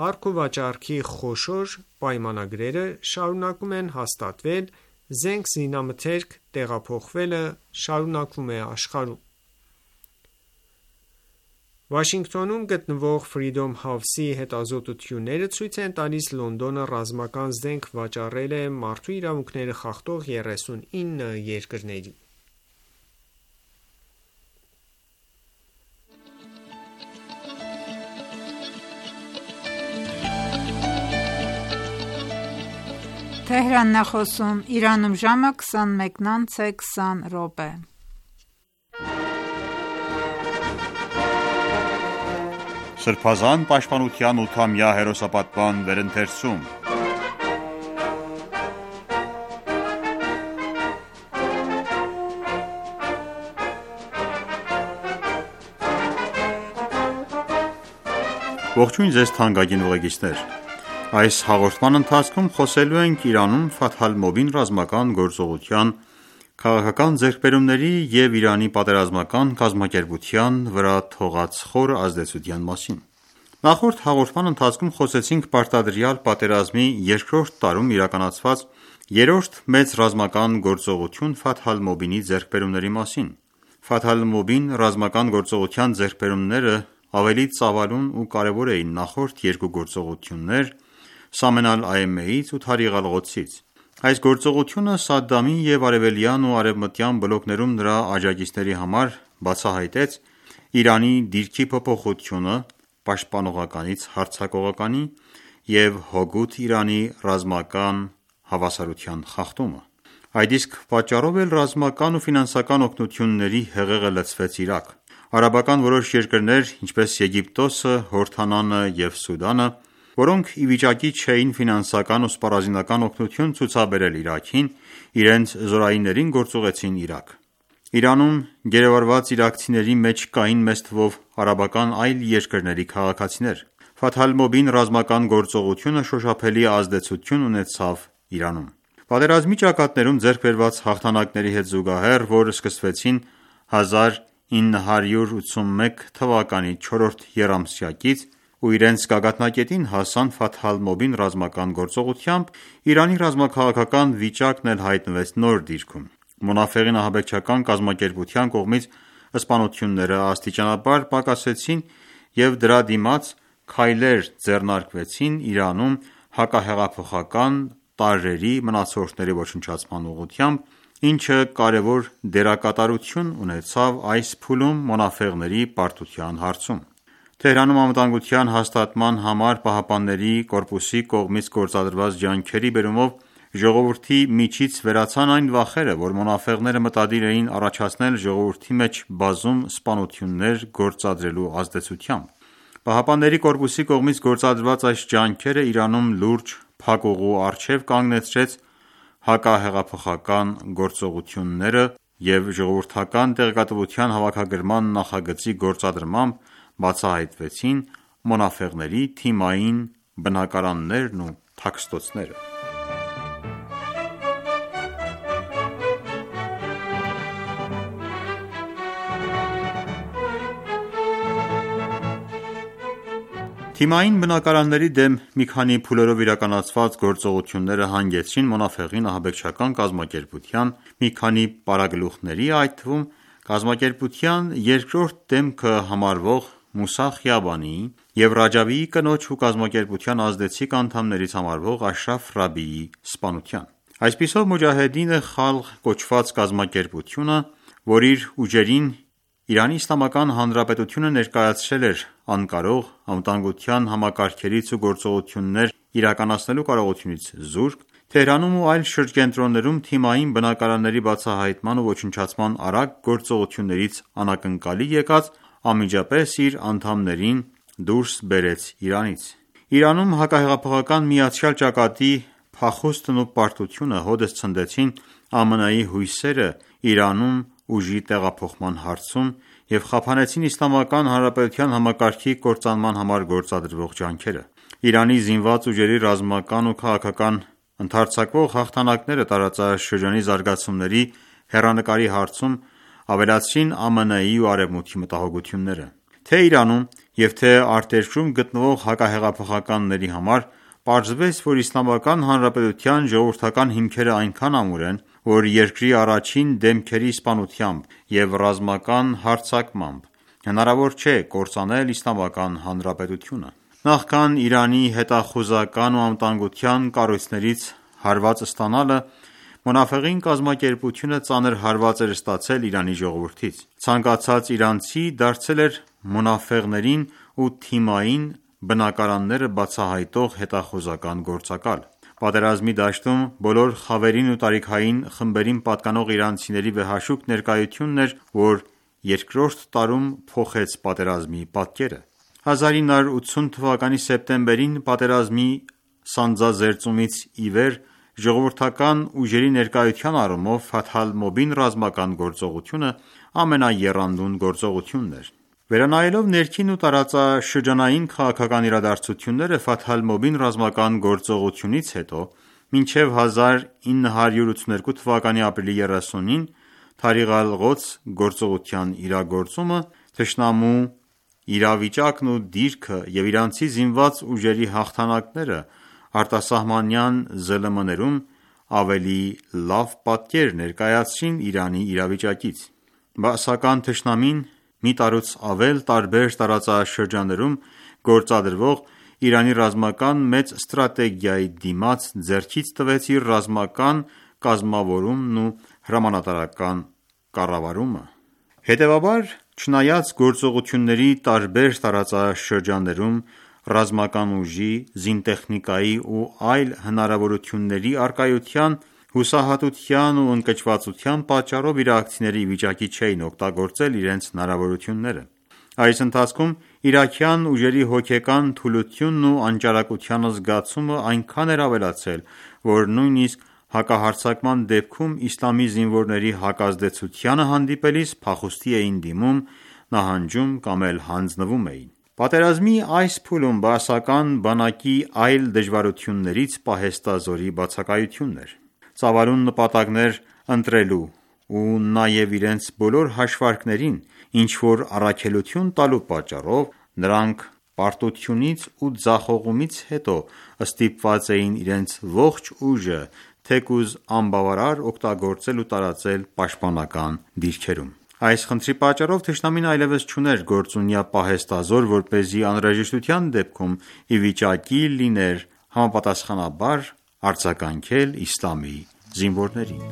առքուվաճառքի խոշոր պայմանագրերը շարունակում են հաստատվել, զենք զինամթերք տեղափոխվելը շարունակվում է աշխարհում: Վաշինգտոնում գտնվող Freedom House-ի հետազոտությունները ցույց են տալիս Լոնդոնը ռազմական զենք վաճառել է մարդու իրավունքները խախտող երեսունինը երկրների: Սրբազան պաշտպանության ութամյա հերոսապատման վերընթերցում Ողջույն ձեզ թանկագին ուղեկիցներ: Այս հաղորդման ընթացքում խոսելու ենք Իրանում Ֆաթհ Ալ-Մուբին ռազմական գործողության քաղաքական ձեռքբերումների և Իրանի պատերազմական կազմակերպության վրա թողած խոր ազդեցության մասին: Նախորդ հաղորդման ընթացքում խոսեցինք պարտադրյալ պատերազմի երկրորդ տարում իրականացված երրորդ մեծ ռազմական գործողություն Ֆաթհ Ալ-Մուբինի ձեռքբերումների մասին: Ֆաթհ Ալ-Մուբին ռազմական գործողության ձեռքբերումները ավելի ծավալուն ու կարևոր էին նախորդ երկու գործողություններ Սամեն Ալ-Այմեից ու Թարիղ Ալ-Ղոդսից: Այս գործողությունը Սադամի և արևելյան ու արևմտյան բլոկներում նրա աջակիցների համար բացահայտեց Իրանի դիրքի փոփոխությունը պաշտպանողականից հարձակողականի և հօգուտ Իրանի ռազմական հավասարության խախտումը: Այդ իսկ պատճառով էլ ռազմական ու ֆինանսական օգնությունների հեղեղը լցվեց Իրաք: Արաբական որոշ երկրներ, ինչպես Եգիպտոսը, Հորդանանը և Սուդանը, որոնք ի վիճակի չէին ֆինանսական ու սպառազինական օգնություն ցուցաբերել Իրաքին, իրենց զորայիններին գործուղեցին Իրաք: Իրանում գերեվարված իրաքցիների մեջ կային մեծ թվով արաբական այլ երկրների քաղաքացիներ: Ֆաթհ Ալ-Մուբին ռազմական գործողությունը շոշափելի ազդեցություն ունեցավ Իրանում: Պատերազմի ճակատներում ձեռք բերված հաղթանակների հետ զուգահեռ, որ սկսվեցին հազար ինը հարյուր ութսունմեկ թվականի չորրորդ եռամսյակից ու իրենց գագաթնակետին հասան Ֆաթհ Ալ-Մուբին ռազմական գործողությամբ, Իրանի ռազմաքաղաքական վիճակն էլ հայտնվեց նոր դիրքում: Մոնաֆեղին ահաբեկչական կազմակերպության կողմից սպանությունները աստիճանաբար պակասեցին և դրա դիմաց քայլեր ձեռնարկվեցին Իրանում հակահեղափոխական տարրերի մնացորդների ոչնչացման ուղղությամբ, ինչը կարևոր դերակատարություն ունեցավ այս փուլում մոնաֆեղների պարտության հարցում: Թեհրանում անվտանգության հաստատման համար ԻՀՊԿ-ի կողմից գործադրված ջանքերի բերումով ժողովրդի միջից վերացան այն վախերը, որ մոնաֆեղները մտադիր էին առաջացնել ժողովրդի մեջ բազում սպանություններ գործադրելու ազդեցությամբ: ԻՀՊԿ-ի կողմից գործադրված այս ջանքերը Իրանում լուրջ փակուղու առջև կանգնեցրեց հակահեղափոխական գործողությունները և ժողովրդական տեղեկատվության հավաքագրման նախագծի գործադրմամբ բացահայտվեցին մոնաֆեղների թիմային բնակարաններն ու թաքստոցները: Թիմային բնակարանների դեմ մի քանի փուլերով իրականացված գործողությունները հանգեցրին մոնաֆեղին ահաբեկչական կազմակերպության մի քանի պարագլուխների, այդ թվում կազմակերպության երկրորդ դեմքը համարվող Մուսա Խիաբանիի և Ռաջավիի կնոջ ու կազմակերպության ազդեցիկ անդամներից համարվող Աշրաֆ Ռաբիիի սպանության: Այսպիսով Մոջահեդին Խալղ կոչված կազմակերպությունը, որ իր ուժերին ԻԻՀ-ն ներկայացրել էր անկարող, անվտանգության համակարգերից ու գործողություններ իրականացնելու կարողությունից զուրկ, Թեհրանում ու այլ շրջկենտրոններում թիմային բնակարանների բացահայտման ու ոչնչացման արագ գործողություններից անակնկալի եկած անմիջապես իր անդամներին դուրս բերեց Իրանից: Իրանում հակահեղափոխական միացյալ ճակատի փախուստն ու պարտությունը հօդս ցնդեցին ԱՄՆ-ի հույսերը Իրանում ուժի տեղափոխման հարցում և խափանեցին Իսլամական Հանրապետության համակարգի կործանման համար գործադրվող ջանքերը։ Իրանի զինված ուժերի ռազմական ու քաղաքական ընդարձակվող հաղթանակները տարածաշրջանի զարգացումների հեռանկարի հարցում ավելացրին ԱՄՆ-ի ու Արևմուտքի մտահոգությունները։ Թե Իրանում և թե արտերկրում գտնվող հակահեղափոխականների համար պարզվեց, որ Իսլամական Հանրապետության ժողովրդական հիմքերը այնքան ամուր են, որ երկրի առաջին դեմքերի սպանությամբ և ռազմական հարձակմամբ հնարավոր չէ կործանել Իսլամական Հանրապետությունը։ Նախքան Իրանի հետախուզական ու անվտանգության կառույցներից հարված ստանալը, Մոնաֆեղին կազմակերպությունը ծանր հարված էր ստացել Իրանի ժողովրդից։ Ցանկացած իրանցի դարձել էր մոնաֆեղներին ու թիմային բնակարանները բացահայտող հետախուզական գործակալ։ Պատերազմի դաշտում բոլոր խավերին ու տարիքային խմբերին պատկանող իրանցիների վեհաշուկ ներկայությունն էր, որ երկրորդ տարում փոխեց պատերազմի պատկերը։ հազար ինը հարյուր ութսուն թվականի սեպտեմբերին պատերազմի սանձազերծումից ի վեր ժողովրդական ուժերի ներկայության առումով Ֆաթհ Ալ-Մոբին ռազմական գործողությունը ամենաեռանդուն գործողությունն էր։ Վերանայելով ներքին ու տարածաշրջանային քաղաքական իրադարձությունները Ֆաթհ Ալ-Մոբին ռազմական գործողությունից հետո մինչև հազար ինը հարյուր ութսուներկու թվականի ապրիլի երեսունին Թարիղ Ալ-Ղոդս գործողության իրագործումը, թշնամու իրավիճակն ու դիրքը և իրանցի զինված ուժերի հաղթանակները արտասահմանյան ԶԼՄ-ներում ավելի լավ պատկեր ներկայացրին Իրանի իրավիճակից։ Բաասական թշնամին մի տարուց ավել տարբեր տարածաշրջաններում գործադրվող Իրանի ռազմական մեծ ստրատեգիայի դիմաց ձեռքից տվեց իր ռազմական կազմավորումն ու հրամանատարական կառավարումը։ Հետևաբար, չնայած գործողությունների տարբեր տարածաշրջաններում ռազմական ուժի, զինտեխնիկայի ու այլ հնարավորությունների առկայության, հուսահատության ու ընկճվածության պատճառով իրաքցիները ի վիճակի չէին օգտագործել իրենց հնարավորությունները։ Այս ընթացքում իրաքյան ուժերի հոգեկան թուլությունն ու անճարակության զգացումը այնքան էր ավելացել, որ նույնիսկ հակահարձակման դեպքում իսլամի զինվորների հակազդեցությանը հանդիպելիս փախուստի էին դիմում, նահանջում կամ էլ հանձնվում էին։ Պատերազմի այս փուլում բաասական բանակի այլ դժվարություններից պահեստազորի բացակայությունն էր։ Ծավալուն նպատակներ ընտրելու ու նաև իրենց բոլոր հաշվարկներին ինչ-որ առաքելություն տալու պատճառով նրանք պարտությունից ու ձախողումից հետո ստիպված էին իրենց ողջ ուժը թեկուզ անբավարար օգտագործել ու տարածել պաշտպանական դիրքերում։ Այս խնդրի պատճառով թշնամին այլևս չուներ գործունյա պահեստազոր, որպեսզի անհրաժեշտության դեպքում ի վիճակի լիներ համապատասխանաբար արձագանքել իսլամի զինվորներին։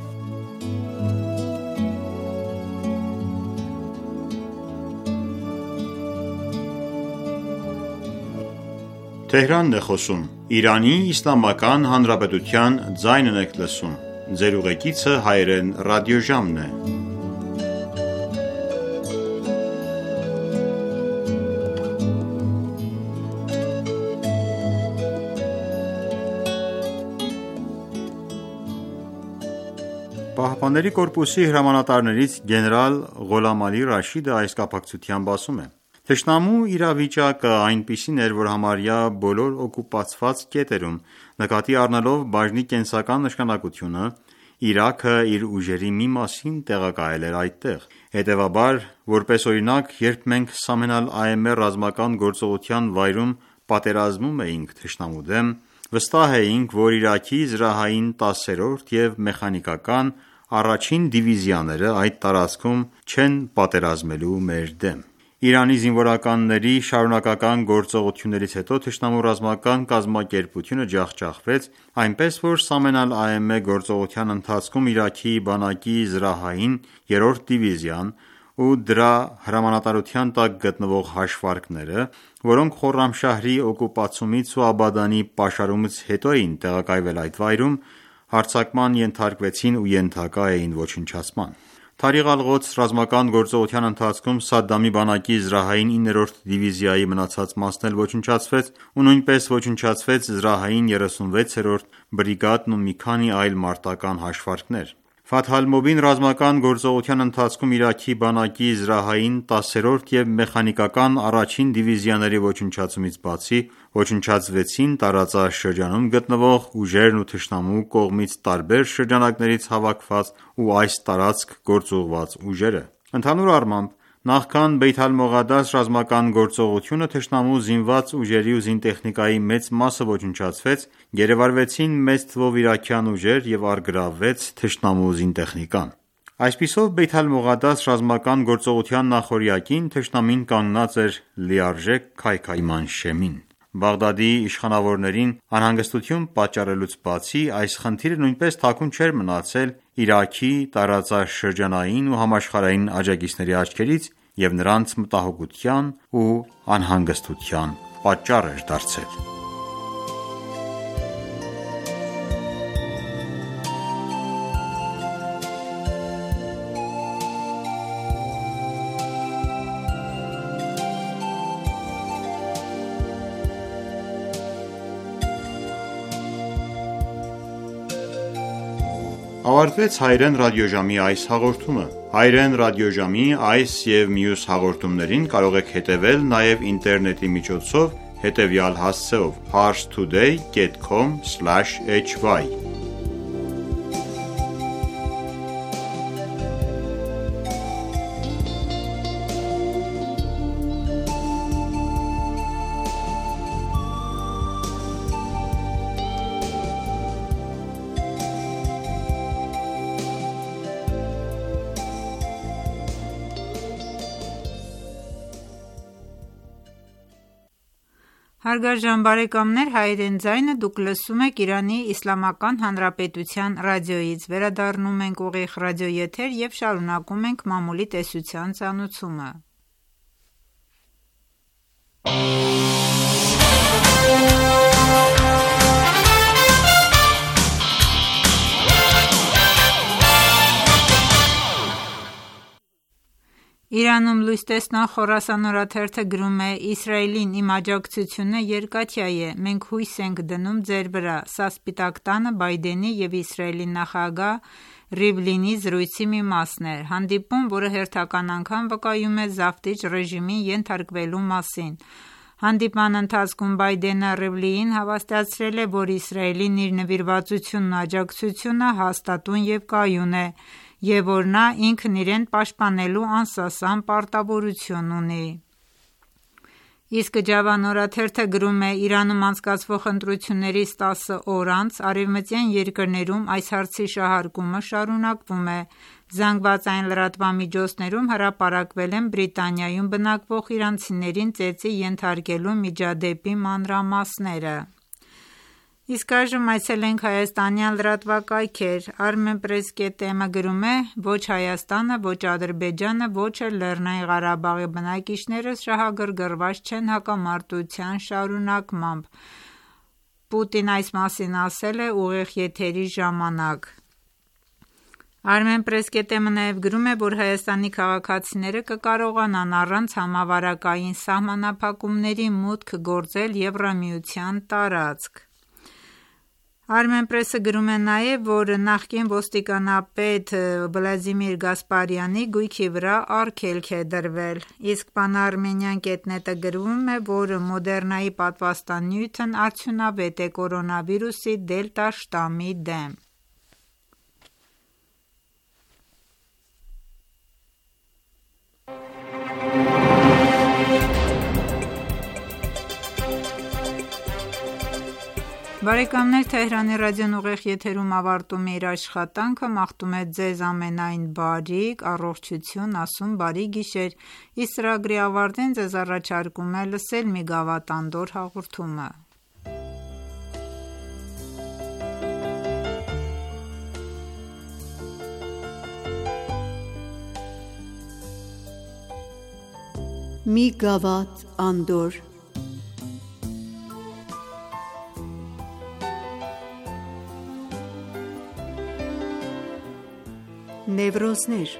ԻՀՊԿ-ի հրամանատարներից գեներալ Ղոլամ Ալի Ռաշիդը այս կապակցությամբ ասում է. «Թշնամու իրավիճակը այնպիսին էր, որ համարյա բոլոր օկուպացված կետերում, նկատի առնելով բաժնի կենսական նշանակությունը, Իրաքը իր ուժերի մի մասին տեղակայել էր այդտեղ։ Հետևաբար, որպես օրինակ, երբ մենք Սամեն Ալ-Աեմե ռազմական գործողության վայրում պատերազմում էինք թշնամու դեմ, վստահ էինք, որ Իրաքի զրահային տասերորդ և մեխանիկական առաջին դիվիզիաները այդ տարածքում չեն պատերազմելու մեր դեմ։ Իրանի զինվորականների շարունակական գործողություններից հետո թշնամու ռազմական կազմակերպությունը ջախջախվեց, այնպես որ Սամեն Ալ-Աեմե գործողության ընթացքում Իրաքի բանակի զրահային երրորդ դիվիզիան ու դրա հրամանատարության տակ գտնվող հաշվարկները, որոնք Խորրամշահրի օկուպացումից ու Աբադանի պաշարումից հետո էին տեղակայվել այդ վայրում, հարձակման ենթարկվեցին ու ենթակա էին ոչնչացման։ Թարիղ Ալ-Ղոդս ռազմական գործողության ընթացքում Սադամի բանակի զրահային իններորդ դիվիզիայի մնացած մասն էլ ոչնչացվեց ու նույնպես ոչնչացվեց զրահային երեսունվեցերորդ բրիգադն ու մի քանի այլ մարտական հաշվարկներ։ Ֆաթհ Ալ-Մուբին ռազմական գործողության ընթացքում Իրաքի բանակի զրահային, տասերորդ և մեխանիկական առաջին դիվիզիաների ոչնչացումից բացի, ոչնչացվեցին տարածաշրջանում գտնվող ուժերն ու թշնամու կողմից տարբեր շրջանակներից հավաքված ու այս տարածք գործուղված ուժերը: Ընդհանուր առմամբ, նախքան Բեյթ Ալ-Մողադաս ռազմական գործողությունը թշնամու զինված ուժերի ու զինտեխնիկայի մեծ մասը ոչնչացվեց, գերեվարվեցին մեծ թվով իրաքյան ուժեր և առգրավվեց թշնամու զինտեխնիկան: Այսպիսով, Բեյթ Ալ-Մողադաս ռազմական գործողության նախօրյակին թշնամին կանգնած էր լիարժեք քայքայման շեմին: Բաղդադի իշխանավորներին անհանգստություն պատճառելուց բացի, այս խնդիրը նույնպես թաքուն չէր մնացել Իրաքի տարածաշրջանային ու համաշխարհային աջակիցների աչքերից և նրանց մտահոգության ու անհանգստության պատճառ էր դարձել: Ավարտվեց հայերեն ռադիոժամի այս հաղորդումը: Հայերեն ռադիոժամի այս և մյուս հաղորդումներին կարող եք հետևել նաև ինտերնետի միջոցով հետևյալ հասցեով՝ parstoday dot com slash h y Հարգարժան բարեկամներ, Հայերեն ձայնը դուք լսում եք Իրանի Իսլամական Հանրապետության ռադիոյից: Վերադառնում ենք ուղիղ ռադիոեթեր և շարունակում ենք մամուլի տեսության ծանոթումը: Իրանում լույս տեսնող Խորասան օրաթերթը գրում է. «Իսրայելին իմ աջակցությունը երկաթյա է: Մենք հույս ենք դնում ձեր վրա»: Սա Սպիտակ տանը Բայդենի և Իսրայելի նախագահ Ռիվլինի զրույցի մի մասն էր: Հանդիպում, որը հերթական անգամ վկայում է զավթիչ ռեժիմին ենթարկվելու մասին: Հանդիպման ընթացքում Բայդենը Ռիվլիին հավաստիացրել է, որ Իսրայելին իր նվիրվածությունն ու աջակցությունը հաստատուն և կայուն է և որ նա ինքն իրեն պաշտպանելու անսասան պարտավորություն ունի: Իսկ Ջավան օրաթերթը գրում է. «Իրանում անցկացվող ընտրություններից տասը օր անց արևմտյան երկրներում այս հարցի շահարկումը շարունակվում է: ԶԼՄ-ներում հրապարակվել են Բրիտանիայում բնակվող իրանցիներին ծեծի ենթարկելու միջադեպի մանրամասները: Իսկ այժմ այցելենք հայաստանյան լրատվակայքեր: Armenpress.am-ը գրում է. «Ոչ Հայաստանը, ոչ Ադրբեջանը, ոչ էլ Լեռնային Ղարաբաղի բնակիչները շահագրգռված չեն հակամարտության շարունակմամբ»: Պուտինն այս մասին ասել է ուղիղ եթերի ժամանակ: Armenpress.am-ը նաև գրում է, որ Հայաստանի քաղաքացիները կկարողանան առանց համավարակային սահմանափակումների մուտք գործել Եվրամիության տարածք: Armenpress-ը գրում է նաև, որ նախկին ոստիկանապետ Վլադիմիր Գասպարյանի գույքի վրա արգելք է դրվել: Իսկ Pan-Armenian.net-ը գրում է, որ Moderna-ի պատվաստանյութն արդյունավետ է կորոնավիրուսի դելտա շտամի դեմ: Բարեկամներ Թեհրանի ռադիոն ուղիղ եթերում ավարտում է իր աշխատանքը: Մաղթում է Ձեզ ամենայն բարիք, առողջություն, ասում բարի գիշեր: Իսկ ծրագրի ավարտին ձեզ առաջարկում է լսել մի գավաթ անդորր հաղորդումը: Մի գավաթ անդորր Նևրոզներ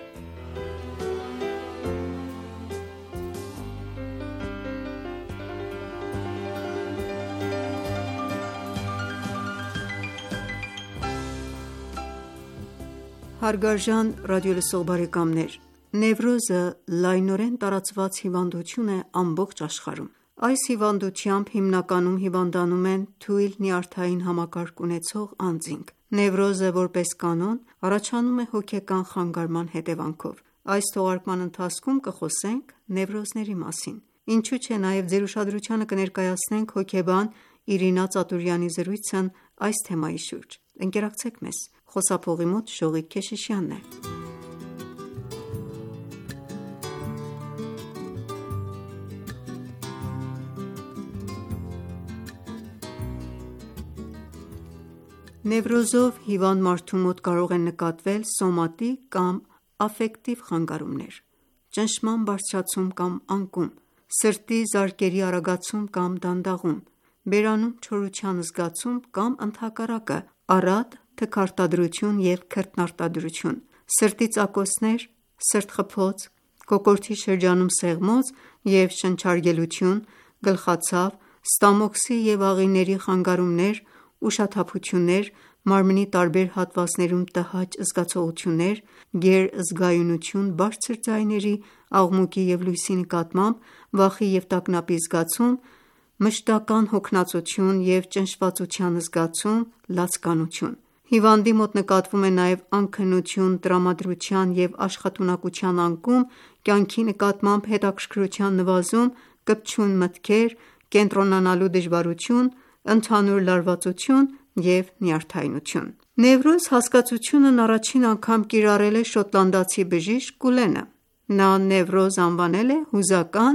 Հարգարժան ռադիոլսող բարեկամներ, Նևրոզը լայնորեն տարածված հիվանդություն է ամբողջ աշխարհում։ Այս հիվանդությամբ հիմնականում հիվանդանում են թույլ նյարդային համակարգ ունեցող անձինք։ Նևրոզը, որպես կանոն, առաջանում է հոգեկան խանգարման հետևանքով։ Այս թողարկման ընթացքում կխոսենք նևրոզների մասին, ինչու չէ նաև ձեր ուշադրությանը կներկայացնենք հոգեբան Իրինա Ծատուրյանի զրույցն այս թեմայի շուրջ։ Ընկերակցեք մեզ։ Խոսափողի մոտ Շողիկ Քեշիշյանն է։ Նևրոզով հիվանդ մարդու մոտ կարող են նկատվել սոմատիկ կամ աֆեկտիվ խանգարումներ, ճնշման բարձրացում կամ անկում, սրտի զարկերի արագացում կամ դանդաղում, բերանում չորության զգացում կամ ընդհակառակը, առատ թքարտադրություն և քրտնարտադրություն, սրտի ծակոցներ, սրտխփոց, կոկորդի շրջանում սեղմոց և շնչարգելություն, գլխացավ, ստամոքսի և աղիների խանգարումներ, ուշաթափություններ, մարմնի տարբեր հատվածներում տհաճ զգացողություններ, գերզգայունություն բարձր ձայների, աղմուկի և լույսի նկատմամբ, վախի և տագնապի զգացում, մշտական հոգնածություն և ճնշվածության զգացում, լացկանություն։ Հիվանդի մոտ նկատվում է նաև անքնություն, տրամադրության և աշխատունակության անկում, կյանքի նկատմամբ հետաքրքրության նվազում, կպչուն մտքեր, կենտրոնանալու դժվարություն, ընդհանուր լարվածություն և նյարդայնություն։ Նևրոզ հասկացությունն առաջին անգամ կիրառել է շոտլանդացի բժիշկ Կուլենը։ Նա նևրոզ անվանել է հուզական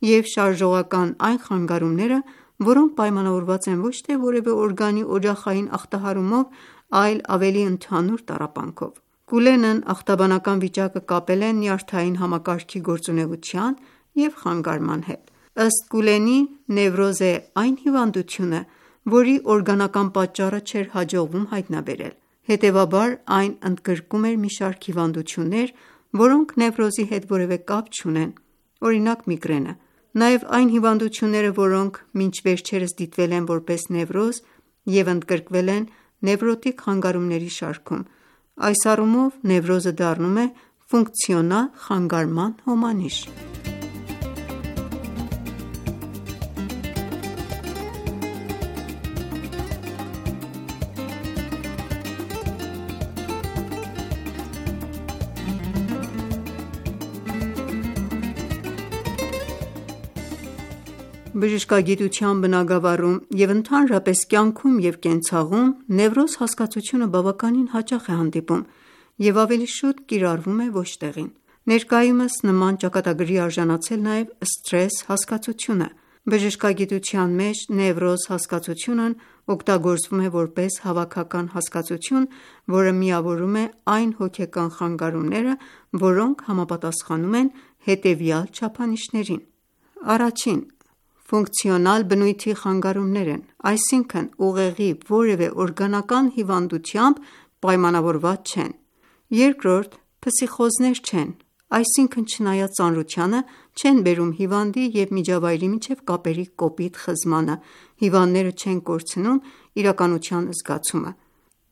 և շարժողական այն խանգարումները, որոնք պայմանավորված են ոչ թե որևէ օրգանի օջախային ախտահարումով, այլ ավելի ընդհանուր տառապանքով։ Կուլենն ախտաբանական վիճակը կապել է նյարդային համակարգի գործունեության և խանգարման հետ։ Ըստ Կուլենի, նևրոզ է այն հիվանդությունը, որի օրգանական պատճառը չէր հաջողվում հայտնաբերել։ Հետևաբար, այն ընդգրկում էր մի շարք հիվանդություններ, որոնք նևրոզի հետ որևէ կապ չունեն, օրինակ՝ միգրենը, նաև այն հիվանդությունները, որոնք մինչ վերջերս դիտվել են որպես նևրոզ և ընդգրկվել են նևրոտիկ խանգարումների շարքում։ Այս առումով նևրոզը դառնում է ֆունկցիոնալ խանգարման հոմանիշ։ Բժշկագիտության բնագավառում և ընդհանրապես կյանքում և կենցաղում նևրոզ հասկացությունը բավականին հաճախ է հանդիպում և ավելի շուտ կիրառվում է ոչ տեղին։ Ներկայումս նման ճակատագրի արժանացել նաև սթրես հասկացությունը։ Բժշկագիտության մեջ նևրոզ հասկացությունն օգտագործվում է որպես հավաքական հասկացություն, որը միավորում է այն հոգեկան խանգարումները, որոնք համապատասխանում են հետևյալ չափանիշներին. Առաջին՝ ֆունկցիոնալ բնույթի խանգարումներ են, այսինքն՝ ուղեղի որևէ օրգանական հիվանդությամբ պայմանավորված չեն։ Երկրորդ՝ փսիխոզներ չեն, այսինքն՝ չնայած ծանրությանը, չեն բերում հիվանդի և միջավայրի միջև կապերի կոպիտ խզմանը, հիվանդները չեն կորցնում իրականության զգացումը։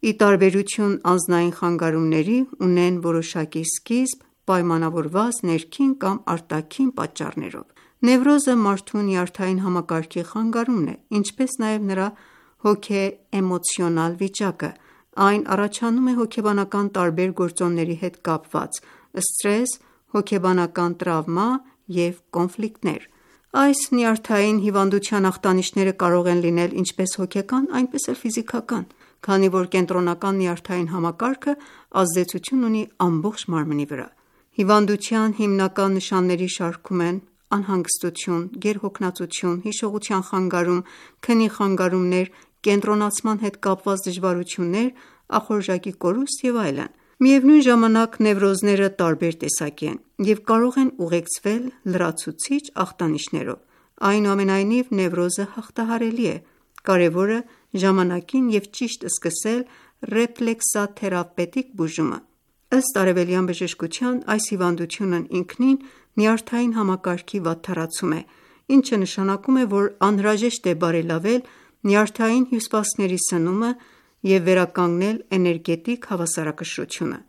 Ի տարբերություն անձնային խանգարումների, ունեն որոշակի սկիզբ՝ պայմանավորված ներքին կամ արտաքին պատճառներով։ Նևրոզը մարդու նյարդային համակարգի խանգարումն է, ինչպես նաև նրա հոգե-էմոցիոնալ վիճակը։ Այն առաջանում է հոգեբանական տարբեր գործոնների հետ կապված՝ սթրես, հոգեբանական տրավմա և կոնֆլիկտներ։ Այս նյարդային հիվանդության ախտանիշները կարող են լինել ինչպես հոգեկան, այնպես էլ ֆիզիկական, քանի որ կենտրոնական նյարդային համակարգը ազդեցություն ունի ամբողջ մարմնի վրա։ Հիվանդության հիմնական նշանների շարքում են անհանգստություն, գերհոգնածություն, հիշողության խանգարում, քնի խանգարումներ, կենտրոնացման հետ կապված դժվարություններ, ախորժակի կորուստ և այլն։ Միևնույն ժամանակ նևրոզները տարբեր տեսակի են և կարող են ուղեկցվել լրացուցիչ ախտանիշներով։ Այնուամենայնիվ, նևրոզը հաղթահարելի է, կարևորը ժամանակին և ճիշտ սկսել ռեֆլեքսաթերապևտիկ բուժումը։ Ըստ արևելյան բժշկության, այս հիվանդությունն ինքնին նյարդային համակարգի վատթարացում է, ինչը նշանակում է, որ անհրաժեշտ է բարելավել նյարդային հյուսվածքների սնումը և վերականգնել էներգետիկ հավասարակշռությունը։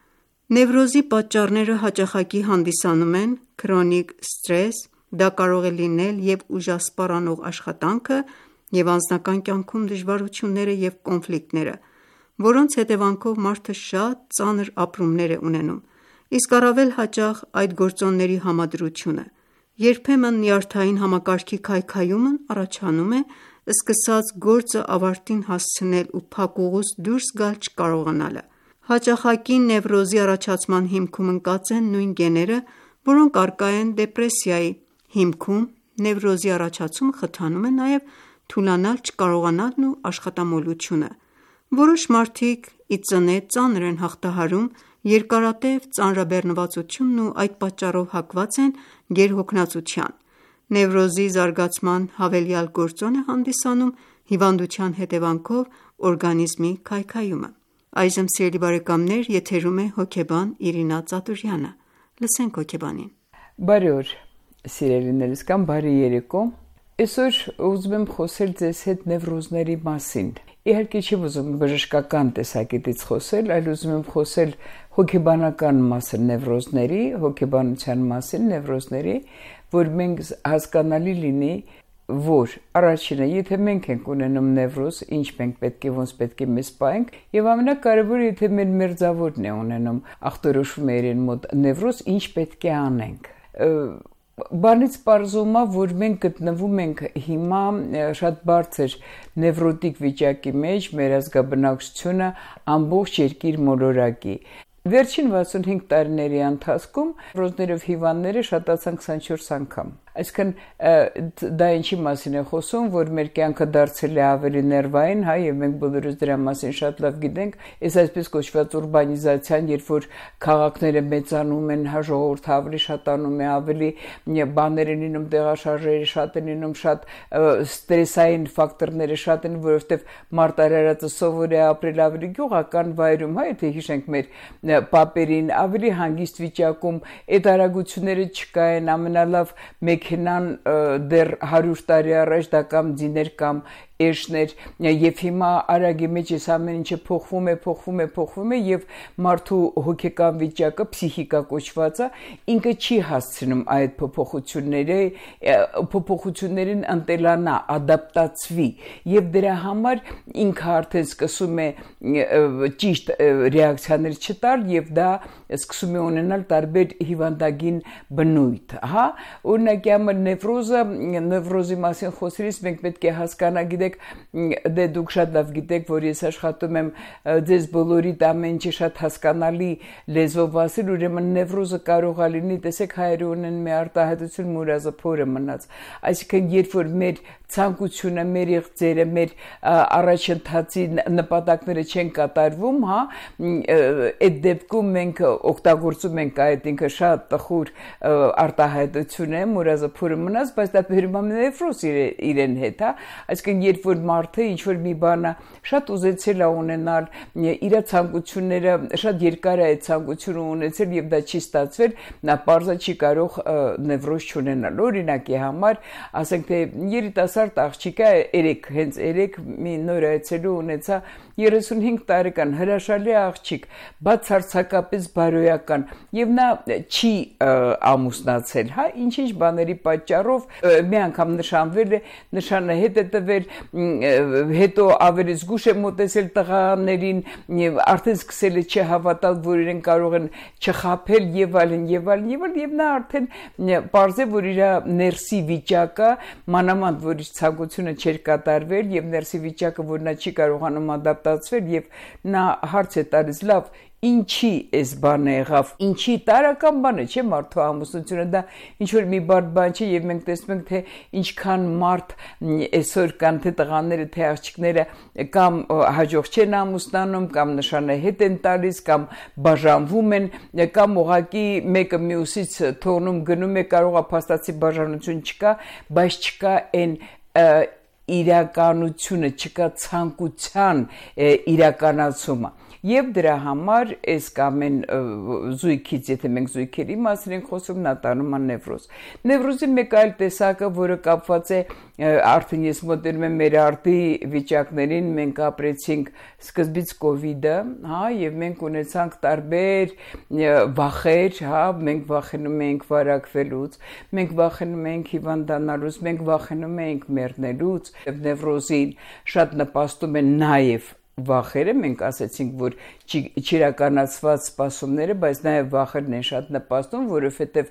Նևրոզի պատճառները հաճախակի հանդիսանում են քրոնիկ սթրես, դա կարող է լինել և ուժասպառ անող աշխատանքը և անձնական կյանքում դժվարությունները և կոնֆլիկտները, որոնց հետևանքով մարդը շատ ծանր ապրումներ է ունենում, իսկ առավել հաճախ այդ գործոնների համադրությունը: Երբեմն նյարդային համակարգի քայքայումն առաջանում է սկսած գործը ավարտին հասցնել ու փակուղուց դուրս գալ չկարողանալը: Հաճախակի նևրոզի առաջացման հիմքում ընկած են նույն գեները, որոնք առկա են դեպրեսիայի հիմքում: Նևրոզի առաջացումը խթանում է նաև թուլանալ չկարողանալն ու աշխատամոլությունը: Որոշ մարդիկ ի ծնե ծանր են հաղթահարում երկարատև ծանրաբեռնվածությունն ու այդ պատճառով հակված են գերհոգնածության: Նևրոզի զարգացման հավելյալ գործոն է հանդիսանում հիվանդության հետևանքով օրգանիզմի քայքայումը: Բարի օր սիրելիներս կամ բարի երեկո: Այսօր ուզում եմ խոսել ձեզ հետ նևրոզների մասին: Իհարկե չի ուզում բժշկական տեսակետից խոսել, այլ ուզում եմ խոսել հոգեբանական մասը նևրոզների, հոգեբանության մասին նևրոզների, որ մենք հասկանալի լինի, որ առաջինը, եթե մենք ենք ունենում նևրոզ, ինչ մենք պետք է ոնց պետք է մեզ պահենք, եւ ամենակարևորը, եթե մեր մերձավորն է ունենում, ախտորոշում է իրեն մոտ նևրոզ, ինչ պետք է անենք: Բանից պարզվում է, որ մենք գտնվում ենք հիմա շատ բարձր նևրոտիկ վիճակի մեջ, մեր ազգաբնակչությունը ամբողջ երկիր մոլորակի: Վերջին վաթսունհինգ տարիների ընթացքում նևրոզներով հիվանդները շատացան քսանչորս անգամ: Այսինքն դա ինչի մասին է խոսում, որ մեր կյանքը դարձել է ավելի ներվային, եւ մենք բոլորս դրա մասին շատ լավ գիտենք: Այս այսպես կոչված ուրբանիզացիան, երբ որ քաղաքները մեծանում են, ժողովուրդը ավելի շատանում է, ավելի բաներ են լինում, տեղաշարժերը շատ են լինում, շատ ստրեսային ֆակտորները շատ են, որովհետև մարդ արարածը սովոր է ապրել ավելի գյուղական վայրում, եթե հիշենք մեր պապերին, ավելի հանգիստ վիճակում, այդ արագությունները չկային, ամենալավ մեքենան դեռ հարյուր տարի առաջ դա կամ ձիներ կամ էշներ, եւ հիմա արագի մեջ այս ամեն ինչը փոխվում է, փոխվում է, փոխվում է եւ մարդու հոգեկան վիճակը, փսիխիկա կոչվածը, ինքը չի հասցնում այդ փոփոխությունների փոփոխություններին ընտելանա, ադապտացվի եւ դրա համար ինքը արդեն սկսում է ճիշտ ռեակցիաներ չտալ եւ դա սկսում է ունենալ տարբեր հիվանդագին բնույթ, հա, օրինակ համար նևրոզը, նևրոզի մասին խոսելիս մենք պետք է հասկանալ, գիտեք, դե դուք շատ լավ գիտեք, որ ես աշխատում եմ ձեզ բոլորիդ ամեն ինչը շատ հասկանալի լեզվով ասել, ուրեմն նևրոզը կարող է լինի, տեսեք հայերը ունեն մի արտահայտություն մուրազը փորը մնաց, այսինքն երբ որ մեր ցանկությունը, մեր իղձերը, մեր առաջընթացի նպատակները չեն կատարվում, հա, այդ դեպքում մենք օգտագործում ենք այդ ինքը շատ տխուր արտահայտություն է, մուրազը փորը մնաց, բայց դա բերում է նևրոզ իրեն հետ, հա, այսինքն երբ որ մարդը ինչ որ մի բանը շատ ուզեցել է ունենալ, իր ցանկությունները շատ երկար է այդ ցանկությունը ունեցել եւ դա չի ստացվել, նա պարզը չի կարող նևրոզ չունենալ: Օրինակի համար, ասենք թե երիտասարդ աղջիկը երեք հենց երեք մի նոր այցելու ունեցա երեսունհինգ տարեկան հրաշալի աղջիկ, բացարձակապես բարոյական եւ նա չի ամուսնացել, հա, ինչ-ինչ բաների պատճառով մի անգամ նշանվել է, նշանը հետ է տվել, հետո ավելի զգուշ է մոտեցել տղաներին եւ արդեն սկսել է չհավատալ, որ իրեն կարող են չխաբել եւ այլն եւ այլն եւ այլն եւ նա արդեն պարզ է, որ իր ներսի վիճակը, մանավանդ որ իր ցանկությունը չէր կատարվել եւ ներսի վիճակը, որ նա չի կարողանում ադապտացվել եւ նա հարց է տալիս, լավ, ինչի էս բանը եղավ, ինչի տարական բանը չէ մարդու ամուսնությունը, դա ինչ որ մի բարդ բան չէ եւ մենք տեսնում ենք թե ինչքան մարդ այսօր կան թե տղաները թե աղջիկները կամ հաջող չեն ամուսնանում կամ նշանը հետ են տալիս կամ բաժանվում են կամ ուղղակի մեկը մյուսից թողնում գնում է, կարող է փաստացի բաժանություն չկա, բայց չկա այն իրականությունը, չկա ցանկության իրականացումը։ Եվ դրա համար այս ամեն զույգից, եթե մենք զույգերի մասին ենք խոսում, նա տանում է նևրոզ։ Նևրոզի մեկ այլ տեսակը, որը կապված է արդեն ես մոտենում եմ մեր արդի վիճակներին, մենք ապրեցինք սկզբից կովիդը, հա, եւ մենք ունեցանք տարբեր վախեր, հա, մենք վախենում էինք վարակվելուց, մենք վախենում էինք հիվանդանալուց, մենք վախենում էինք մեռնելուց, եւ նևրոզին շատ նպաստում են նաեւ վախերը, մենք ասացինք, որ չիրականացված սպասումները, բայց նաև վախերն են շատ նպաստում, որովհետև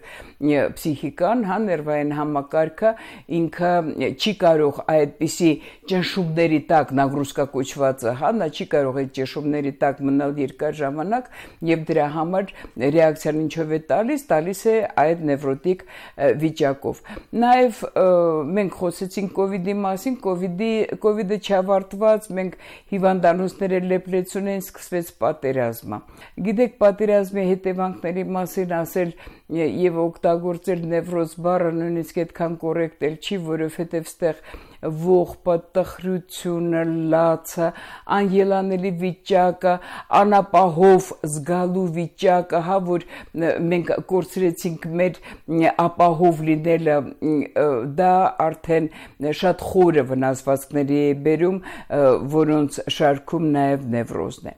փսիխիկան, հա, ներվային համակարգը ինքը չի կարող այդպիսի ճնշումների տակ, նագրուսկա կոչվածը, հա, նա չի կարող այդ ճնշումների տակ մնալ երկար ժամանակ, եւ դրա համար ռեակցիան ինչով է տալիս, տալիս է այդ նևրոտիկ վիճակով։ Նաև մենք խոսեցինք կովիդի մասին, կովիդի կովիդը չավարտված, մենք հիվանդանոցները լեփլեցուն են, սկսվեց պատերազմը։ Գիտեք, պատերազմի հետևանքների մասին ասել եւ օգտագործել նևրոզ բառը նույնիսկ այդքան կոռեկտ էլ չի, որովհետեւ ստեղ ողբը, տխրությունը, լացը, անելանելի վիճակը, անապահով զգալու վիճակը, հա, որ մենք կորցրեցինք մեր ապահով լինելը, դա արդեն շատ խորը վնասվածքների է բերում, որոնց շարքում նաև նևրոզն է։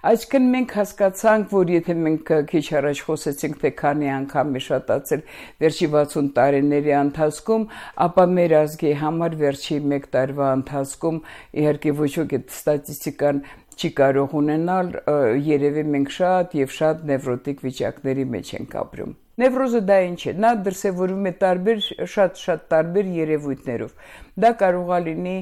Այսինքն մենք հասկացանք, որ եթե մենք քիչ առաջ խոսեցինք, թե քանի անգամ է շատացել վերջի վաթսուն տարիների ընթացքում, ապա մեր ազգի համար վերջի մեկ տարվա ընթացքում իհարկե ոչ ոք այդ ստատիստիկան չի կարող ունենալ, երևի մենք շատ եւ շատ նևրոտիկ վիճակների մեջ ենք ապրում։ Նևրոզը դա ինչ է, նա դրսևորվում է տարբեր, շատ-շատ տարբեր երևույթներով։ Դա կարող է լինի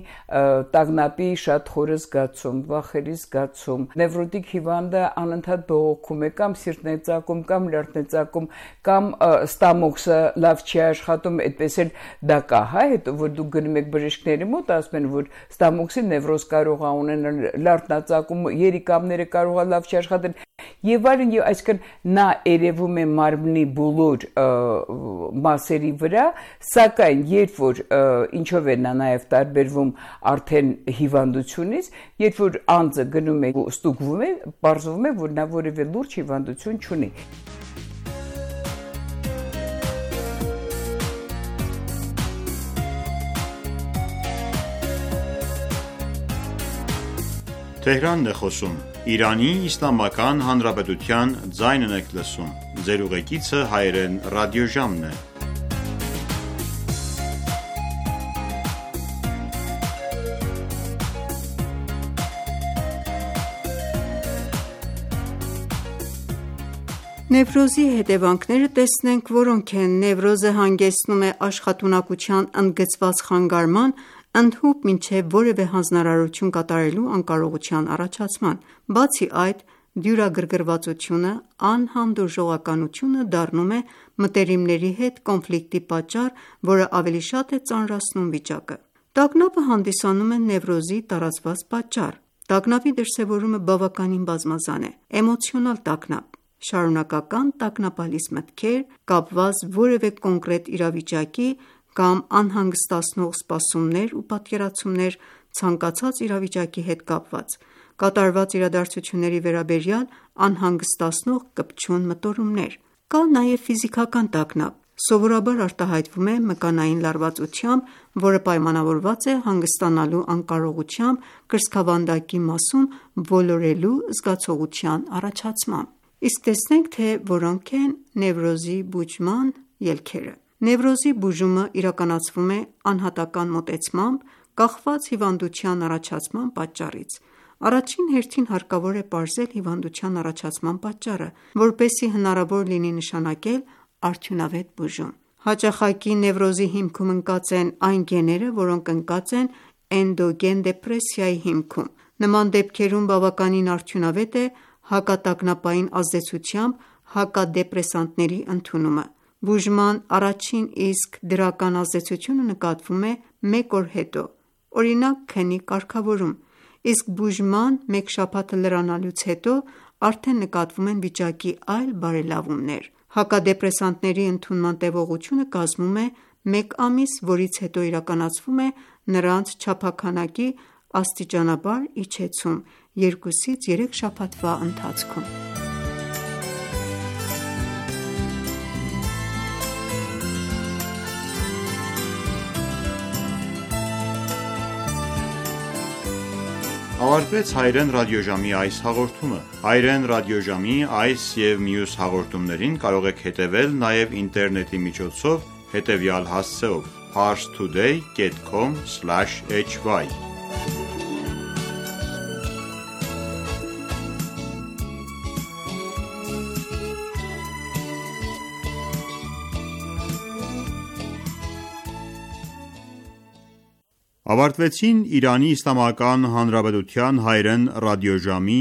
տագնապի շատ խորը զգացում, վախերի զգացում, նևրոտիկ հիվանդը անընդհատ բողոքում է, կամ սիրտն է ծակում, կամ լյարդն է ծակում, կամ ստամոքսը լավ չի աշխատում, այդպես էլ դա կա, հա, հետո որ դուք գնում եք բժիշկների մոտ, ասում են, որ ստամոքսի նևրոզ կարող է ունենալ, լյարդն է ծակում, երիկամները կարող է լավ չի աշխատել, եւ այլն, եւ այսինքն նա երևում է մարմնի բոլոր մասերի վրա, սակայն երբ որ ինչով է նա նաև տարբերվում արդեն հիվանդությունից, երբ որ անձը գնում է ստուգվում է, պարզվում է, որ նա որևէ լուրջ հիվանդություն չունի։ Թեհրանն է խոսում, Իրանի Իսլամական Հանրապետության ձայնն եք լսում, ձեր ուղեկիցը հայերեն ռադիոժամն է։ Նևրոզի հետևանքները տեսնենք, որոնք են։ Նևրոզը հանգեցնում է աշխատունակության ընդգծված խանգարման, ընդհուպ մինչև որևէ հանձնարարություն կատարելու անկարողության առաջացման։ Բացի այդ, դյուրագրգռվածությունը, անհանդուրժողականությունը դառնում է մտերիմների հետ կոնֆլիկտի պատճառ, որը ավելի շատ է ծանրացնում վիճակը։ Տագնապը հանդիսանում է նևրոզի տարածված պատճառ։ Տագնապի դրսևորումը բավականին բազմազան է։ Էմոցիոնալ տագնապ, շարունակական տագնապալից մտքեր, կապված որևէ կոնկրետ իրավիճակի կամ անհանգստացնող սպասումներ ու պատկերացումներ ցանկացած իրավիճակի հետ կապված, կատարված իրադարձությունների վերաբերյալ անհանգստացնող կպչուն մտորումներ։ Կա նաև ֆիզիկական տագնապ, սովորաբար արտահայտվում է մկանային լարվածությամբ, որը պայմանավորված է հանգստանալու անկարողությամբ, կրծքավանդակի մասում ոլորելու զգացողության առաջացմամբ։ Իսկ տեսնենք, թե որոնք են նևրոզի բուժման ելքերը։ Նևրոզի բուժումը իրականացվում է անհատական մոտեցմամբ, կախված հիվանդության առաջացման պատճառից։ Առաջին հերթին հարկավոր է պարզել հիվանդության առաջացման պատճառը, որպեսզի հնարավոր լինի նշանակել արդյունավետ բուժում։ Հաճախակի նևրոզի հիմքում ընկած են այն գեները, որոնք ընկած են էնդոգեն դեպրեսիայի հիմքում։ Նման դեպքերում բավականին արդյունավետ է հակատագնապային ազդեցությամբ հակադեպրեսանտների ընդունումը։ Բուժման առաջին իսկ դրական ազդեցությունը նկատվում է մեկ օր հետո, օրինակ քնի կարգավորում, իսկ բուժման մեկ շաբաթը լրանալուց հետո արդեն նկատվում են վիճակի այլ բարելավումներ։ Հակադեպրեսանտների ընդունման տևողությունը կազմում է մեկ ամիս, որից հետո իրականացվում է նրանց չափաքանակի աստիճանաբար իջեցում երկուսից երեք շաբաթվա ընթացքում։ Ավարտվեց հայերեն ռադիոժամի այս հաղորդումը։ Հայերեն ռադիոժամի այս և մյուս հաղորդումներին կարող եք հետևել նաև ինտերնետի միջոցով հետևյալ հասցեով՝ parstoday dot com slash h y Ավարտվեցին Իրանի Իսլամական Հանրապետության հայերեն ռադիոժամի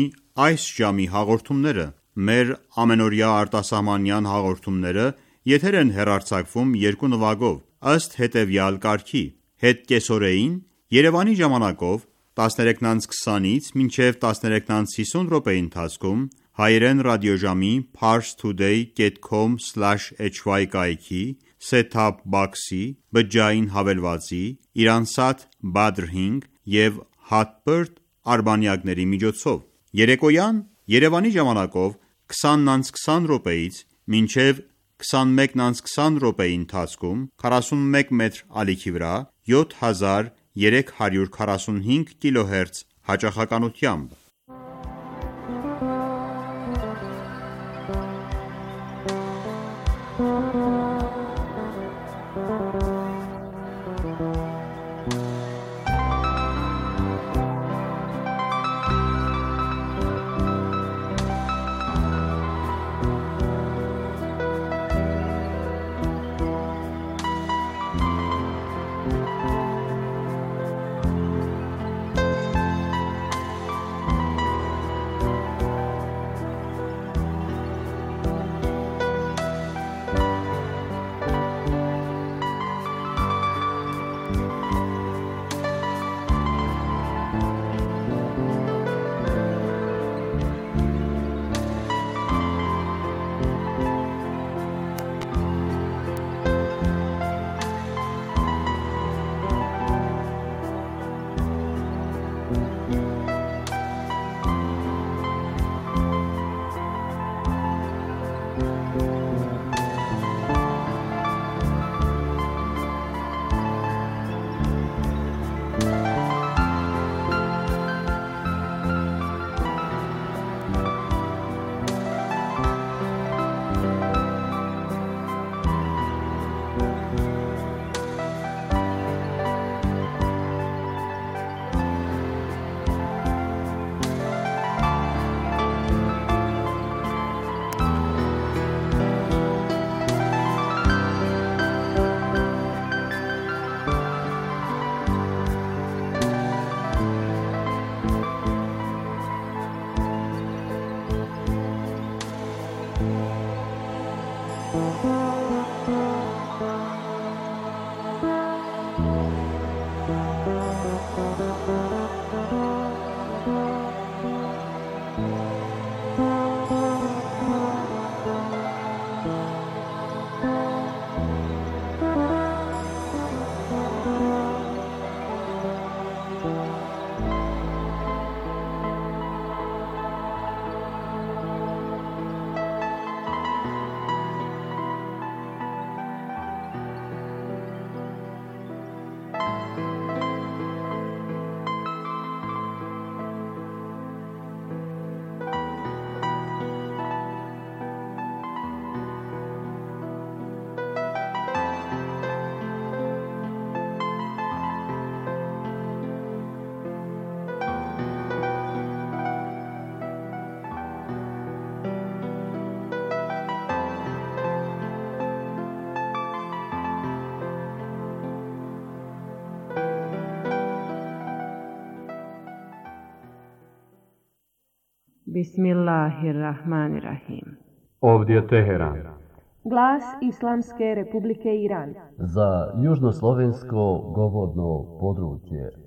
այս ժամի հաղորդումները։ Մեր ամենօրյա արտասահմանյան հաղորդումները եթեր են հեռարձակվում երկու նվագով, ըստ հետևյալ կարգի. հետկեսօրեին Երևանի ժամանակով տասներեքից քսանից մինչև տասներեքից հիսուն րոպեի ընթացքում հայերեն ռադիոժամի parstoday dot com slash h y կայքի set-top box-ի, բջջային հավելվածի, Iransat Badr հինգ և Hotbird արբանյակների միջոցով։ Երեկոյան Երևանի ժամանակով քսանից քսան րոպեից մինչև քսանմեկից քսան րոպեի ընթացքում քառասունմեկ մետր ալիքի վրա յոթ հազար երեք հարյուր քառասունհինգ կիլոհերց հաճախականությամբ։ Bismillahirrahmanirrahim. Ovdje Teheran. Glas Islamske Republike Iran. Za južnoslovensko govorno područje.